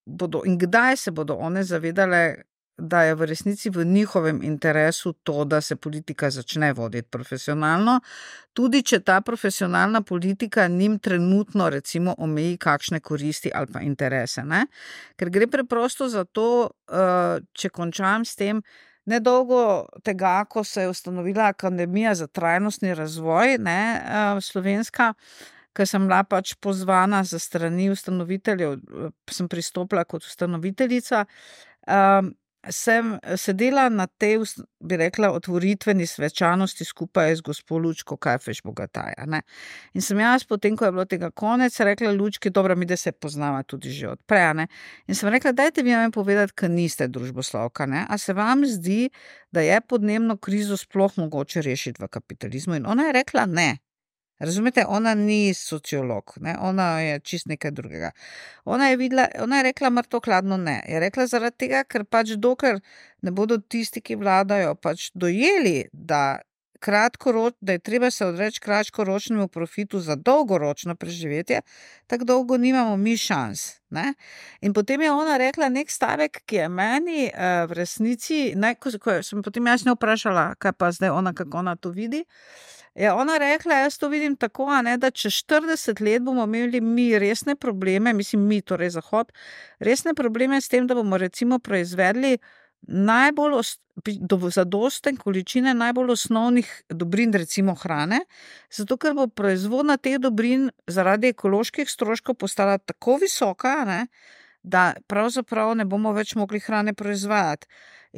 bodo in kdaj se bodo one zavedale, da je v resnici v njihovem interesu to, da se politika začne voditi profesionalno, tudi če ta profesionalna politika njim trenutno recimo omeji kakšne koristi ali pa interese, ne. Ker gre preprosto za to, če končam s tem, nedolgo tega, ko se je ustanovila Akademija za trajnostni razvoj, ne, slovenska, ker sem bila pač pozvana za strani ustanoviteljev, sem pristopila kot ustanoviteljica, sem sedela na tej, bi rekla, otvoritveni svečanosti skupaj z gospo Lučko Kajfež Bogataj, ne. In sem jaz potem, ko je bilo tega konec, rekla Lučki, dobro, mi da se poznava tudi že od prej, ne. In sem rekla, dajte vi nam povedati, ker niste družboslovka, ne, a se vam zdi, da je podnebno krizo sploh mogoče rešiti v kapitalizmu? In ona je rekla ne. Razumete, ona ni sociolog, ne? Ona je čist nekaj drugega. Ona je rekla mrtvo hladno ne. Je rekla zaradi tega, ker pač dokler ne bodo tisti, ki vladajo, pač dojeli, da je treba se odreči kratkoročnemu profitu za dolgoročno preživetje, tako dolgo nimamo mi šans, ne. In potem je ona rekla nek stavek, ki je meni v resnici, ko sem potem jaz njo vprašala, kaj pa zdaj ona, kako ona to vidi, je ona rekla, jaz to vidim tako, a ne, da čez 40 let bomo imeli mi resne probleme, mislim mi, torej Zahod, resne probleme s tem, da bomo recimo proizvedli zadosten količine najbolj osnovnih dobrin, recimo hrane, zato ker bo proizvodnja teh dobrin zaradi ekoloških stroškov postala tako visoka, ne, da pravzaprav ne bomo več mogli hrane proizvajati.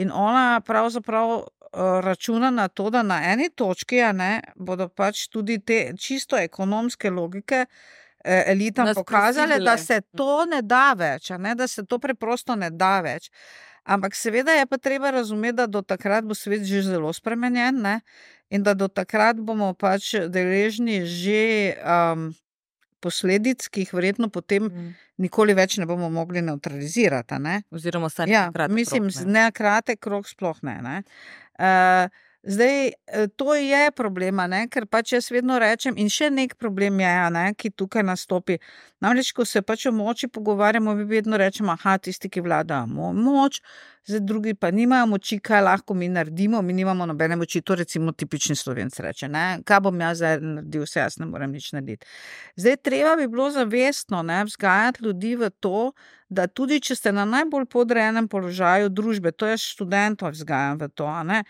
In ona pravzaprav računa na to, da na eni točki, a ne, bodo pač tudi te čisto ekonomske logike elitam pokazale, da se to ne da več, a ne, da se to preprosto ne da več. Ampak seveda je pa treba razumeti, da do takrat bo svet že zelo spremenjen, ne, in da do takrat bomo pač deležni že posledic, ki jih verjetno potem nikoli več ne bomo mogli nevtralizirati, a ne. Oziroma vsaj kratek krog, mislim, ne kratek krog sploh ne. Zdaj, to je problema, ne, ker pač jaz vedno rečem, in še nek problem je, ne, ki tukaj nastopi. Namreč, ko se pač o moči pogovarjamo, mi vedno rečemo, tisti, ki vladajo moč, zdaj drugi pa nimajo moči, kaj lahko mi naredimo, mi nimamo nobene moči, to recimo tipični Slovenec reče, ne, kaj bom jaz zdaj naredil, vse jaz ne morem nič narediti. Zdaj, treba bi bilo zavestno, ne, vzgajati ljudi v to, da tudi, če ste na najbolj podrejenem položaju družbe, to je študentov vzgajam v to, a ne,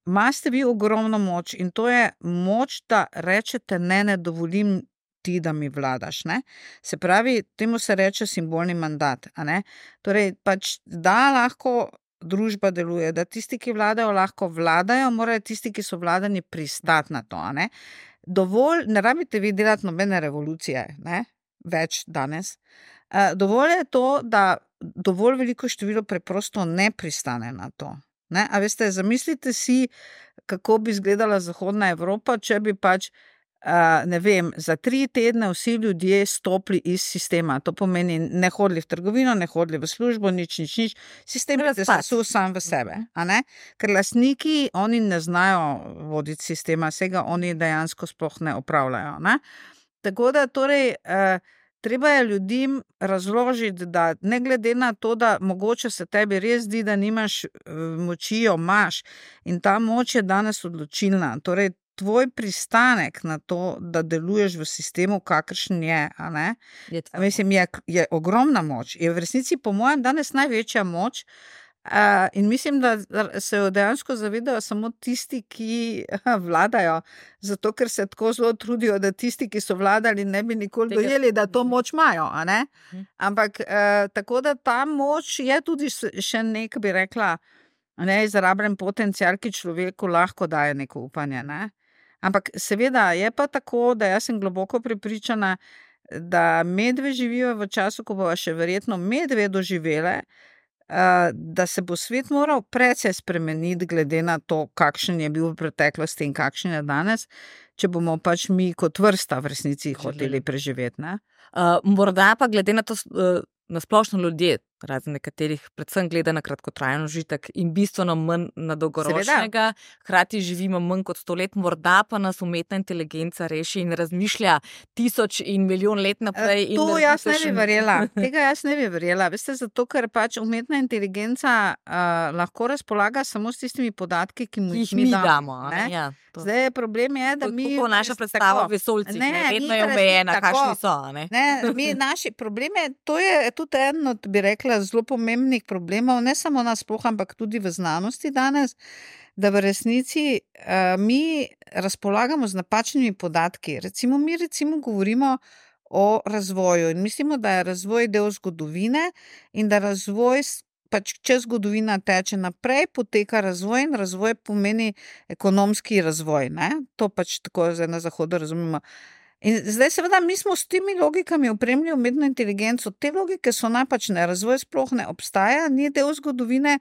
imate vi ogromno moč in to je moč, da rečete ne dovolim ti, da mi vladaš, ne. Se pravi, temu se reče simbolni mandat, a ne. Torej, pač, da lahko družba deluje, da tisti, ki vladajo, lahko vladajo, morajo tisti, ki so vladani, pristati na to, a ne. Dovolj, ne rabite vi delati nobene revolucije, ne, več danes. Dovolj je to, da dovolj veliko število preprosto ne pristane na to. Ne, a veste, zamislite si, kako bi izgledala Zahodna Evropa, če bi pač, ne vem, za 3 tedne vsi ljudje stopili iz sistema. To pomeni, ne hodili v trgovino, ne hodili v službo, nič. Sistem je sesul sam v sebe, a ne? Ker lastniki, oni ne znajo voditi sistema, vsega oni dejansko sploh ne opravljajo, ne? Tako da, torej, treba je ljudem razložiti, da ne glede na to, da mogoče se tebi res zdi, da nimaš moči, jo imaš in ta moč je danes odločilna. Torej, tvoj pristanek na to, da deluješ v sistemu, kakršen je, a ne? Mislim, je ogromna moč. Je v resnici, po mojem, danes največja moč. In mislim, da se jo dejansko zavedajo samo tisti, ki vladajo, zato ker se tako zelo trudijo, da tisti, ki so vladali, ne bi nikoli dojeli, da to moč imajo. A ne? Ampak tako da ta moč je tudi še nek, bi rekla, neizrabljen potencial, ki človeku lahko daje neko upanje. Ne? Ampak seveda je pa tako, da jaz sem globoko prepričana, da medve živijo v času, ko bo še verjetno medve doživele, da se bo svet moral precej spremeniti glede na to, kakšen je bil v preteklosti in kakšen je danes, če bomo pač mi kot vrsta v resnici hoteli preživeti. Ne? Morda pa glede na to, na splošno ljudje, razen nekaterih, predvsem gleda na kratkotrajen užitek in bistveno manj na dolgoročnega, hkrati živimo manj kot 100 let, morda pa nas umetna inteligenca reši in razmišlja 1000 in milijon let naprej. To jaz ne bi verjela. Tega jaz ne bi verjela. Veste, zato, ker pač umetna inteligenca lahko razpolaga samo s tistimi podatki, ki mu jih mi damo. Ja, zdaj je problem, da mi... To naša predstava v vesoljcih, vedno je omejena, kakšni so. Problem je, to je tudi eno, bi rekla, zelo pomembnih problemov, ne samo nasploh, ampak tudi v znanosti danes, da v resnici mi razpolagamo z napačnimi podatki. Mi govorimo o razvoju in mislimo, da je razvoj del zgodovine in da razvoj, pač če zgodovina teče naprej, poteka razvoj in razvoj pomeni ekonomski razvoj. Ne? To pač tako zdaj na zahodu razumemo. In zdaj seveda mi smo s temi logikami opremili umetno inteligenco. Te logike so napačne, razvoj sploh ne obstaja, ni del zgodovine,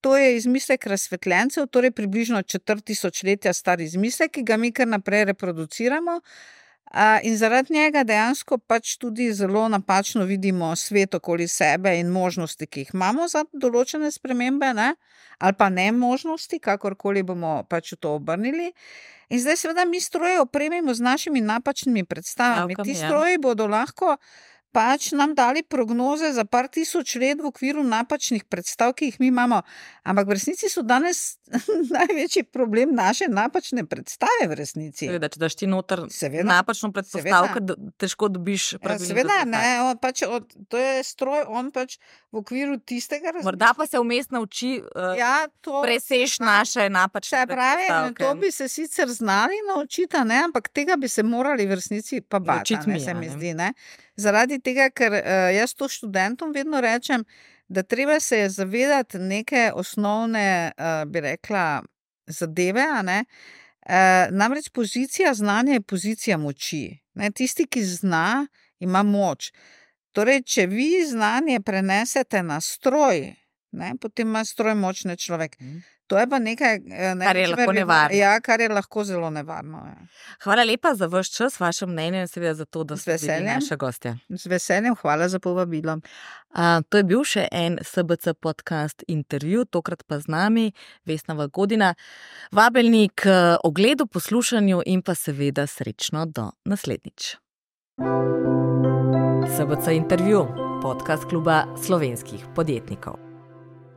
to je izmislek razsvetljencev, torej približno 4000 star izmislek, ki ga mi kar naprej reproduciramo. In zaradi njega dejansko pač tudi zelo napačno vidimo svet okoli sebe in možnosti, ki jih imamo za določene spremembe, ne? Ali pa ne možnosti, kakorkoli bomo pač to obrnili. In zdaj seveda mi stroje opremimo z našimi napačnimi predstavami. Ti stroji bodo lahko pač nam dali prognoze za par tisoč let v okviru napačnih predstav, ki jih mi imamo. Ampak v resnici so danes največji problem naše napačne predstave v resnici. Seveda, če daš ti noter napačno predpostavko, težko dobiš pravilno. Seveda, ne, pač to je stroj, on pač v okviru tistega razmišlja. Morda pa se vmes nauči preseš naše napačne predpostavke. To bi se sicer znali naučiti, ne, ampak tega bi se morali v resnici pa bati, se mi zdi, ne. Zaradi tega, ker jaz to študentom vedno rečem, da treba se je zavedati neke osnovne, bi rekla, zadeve, a ne. Namreč pozicija znanja je pozicija moči. Ne? Tisti, ki zna, ima moč. Torej, če vi znanje prenesete na stroj, ne, potem ima stroj močne človek. To je pa nekaj, kar je lahko nevarno. Ja, kar je lahko zelo nevarno. Ja. Hvala lepa za vaš čas, vaše mnenje in seveda za to, da ste bili naša gostja. Z veseljem, hvala za povabilo. To je bil še en SBC podcast intervju, tokrat pa z nami Vesna Valgodina. Vabljeni k ogledu, poslušanju in pa seveda srečno do naslednjič. SBC intervju, podcast kluba slovenskih podjetnikov.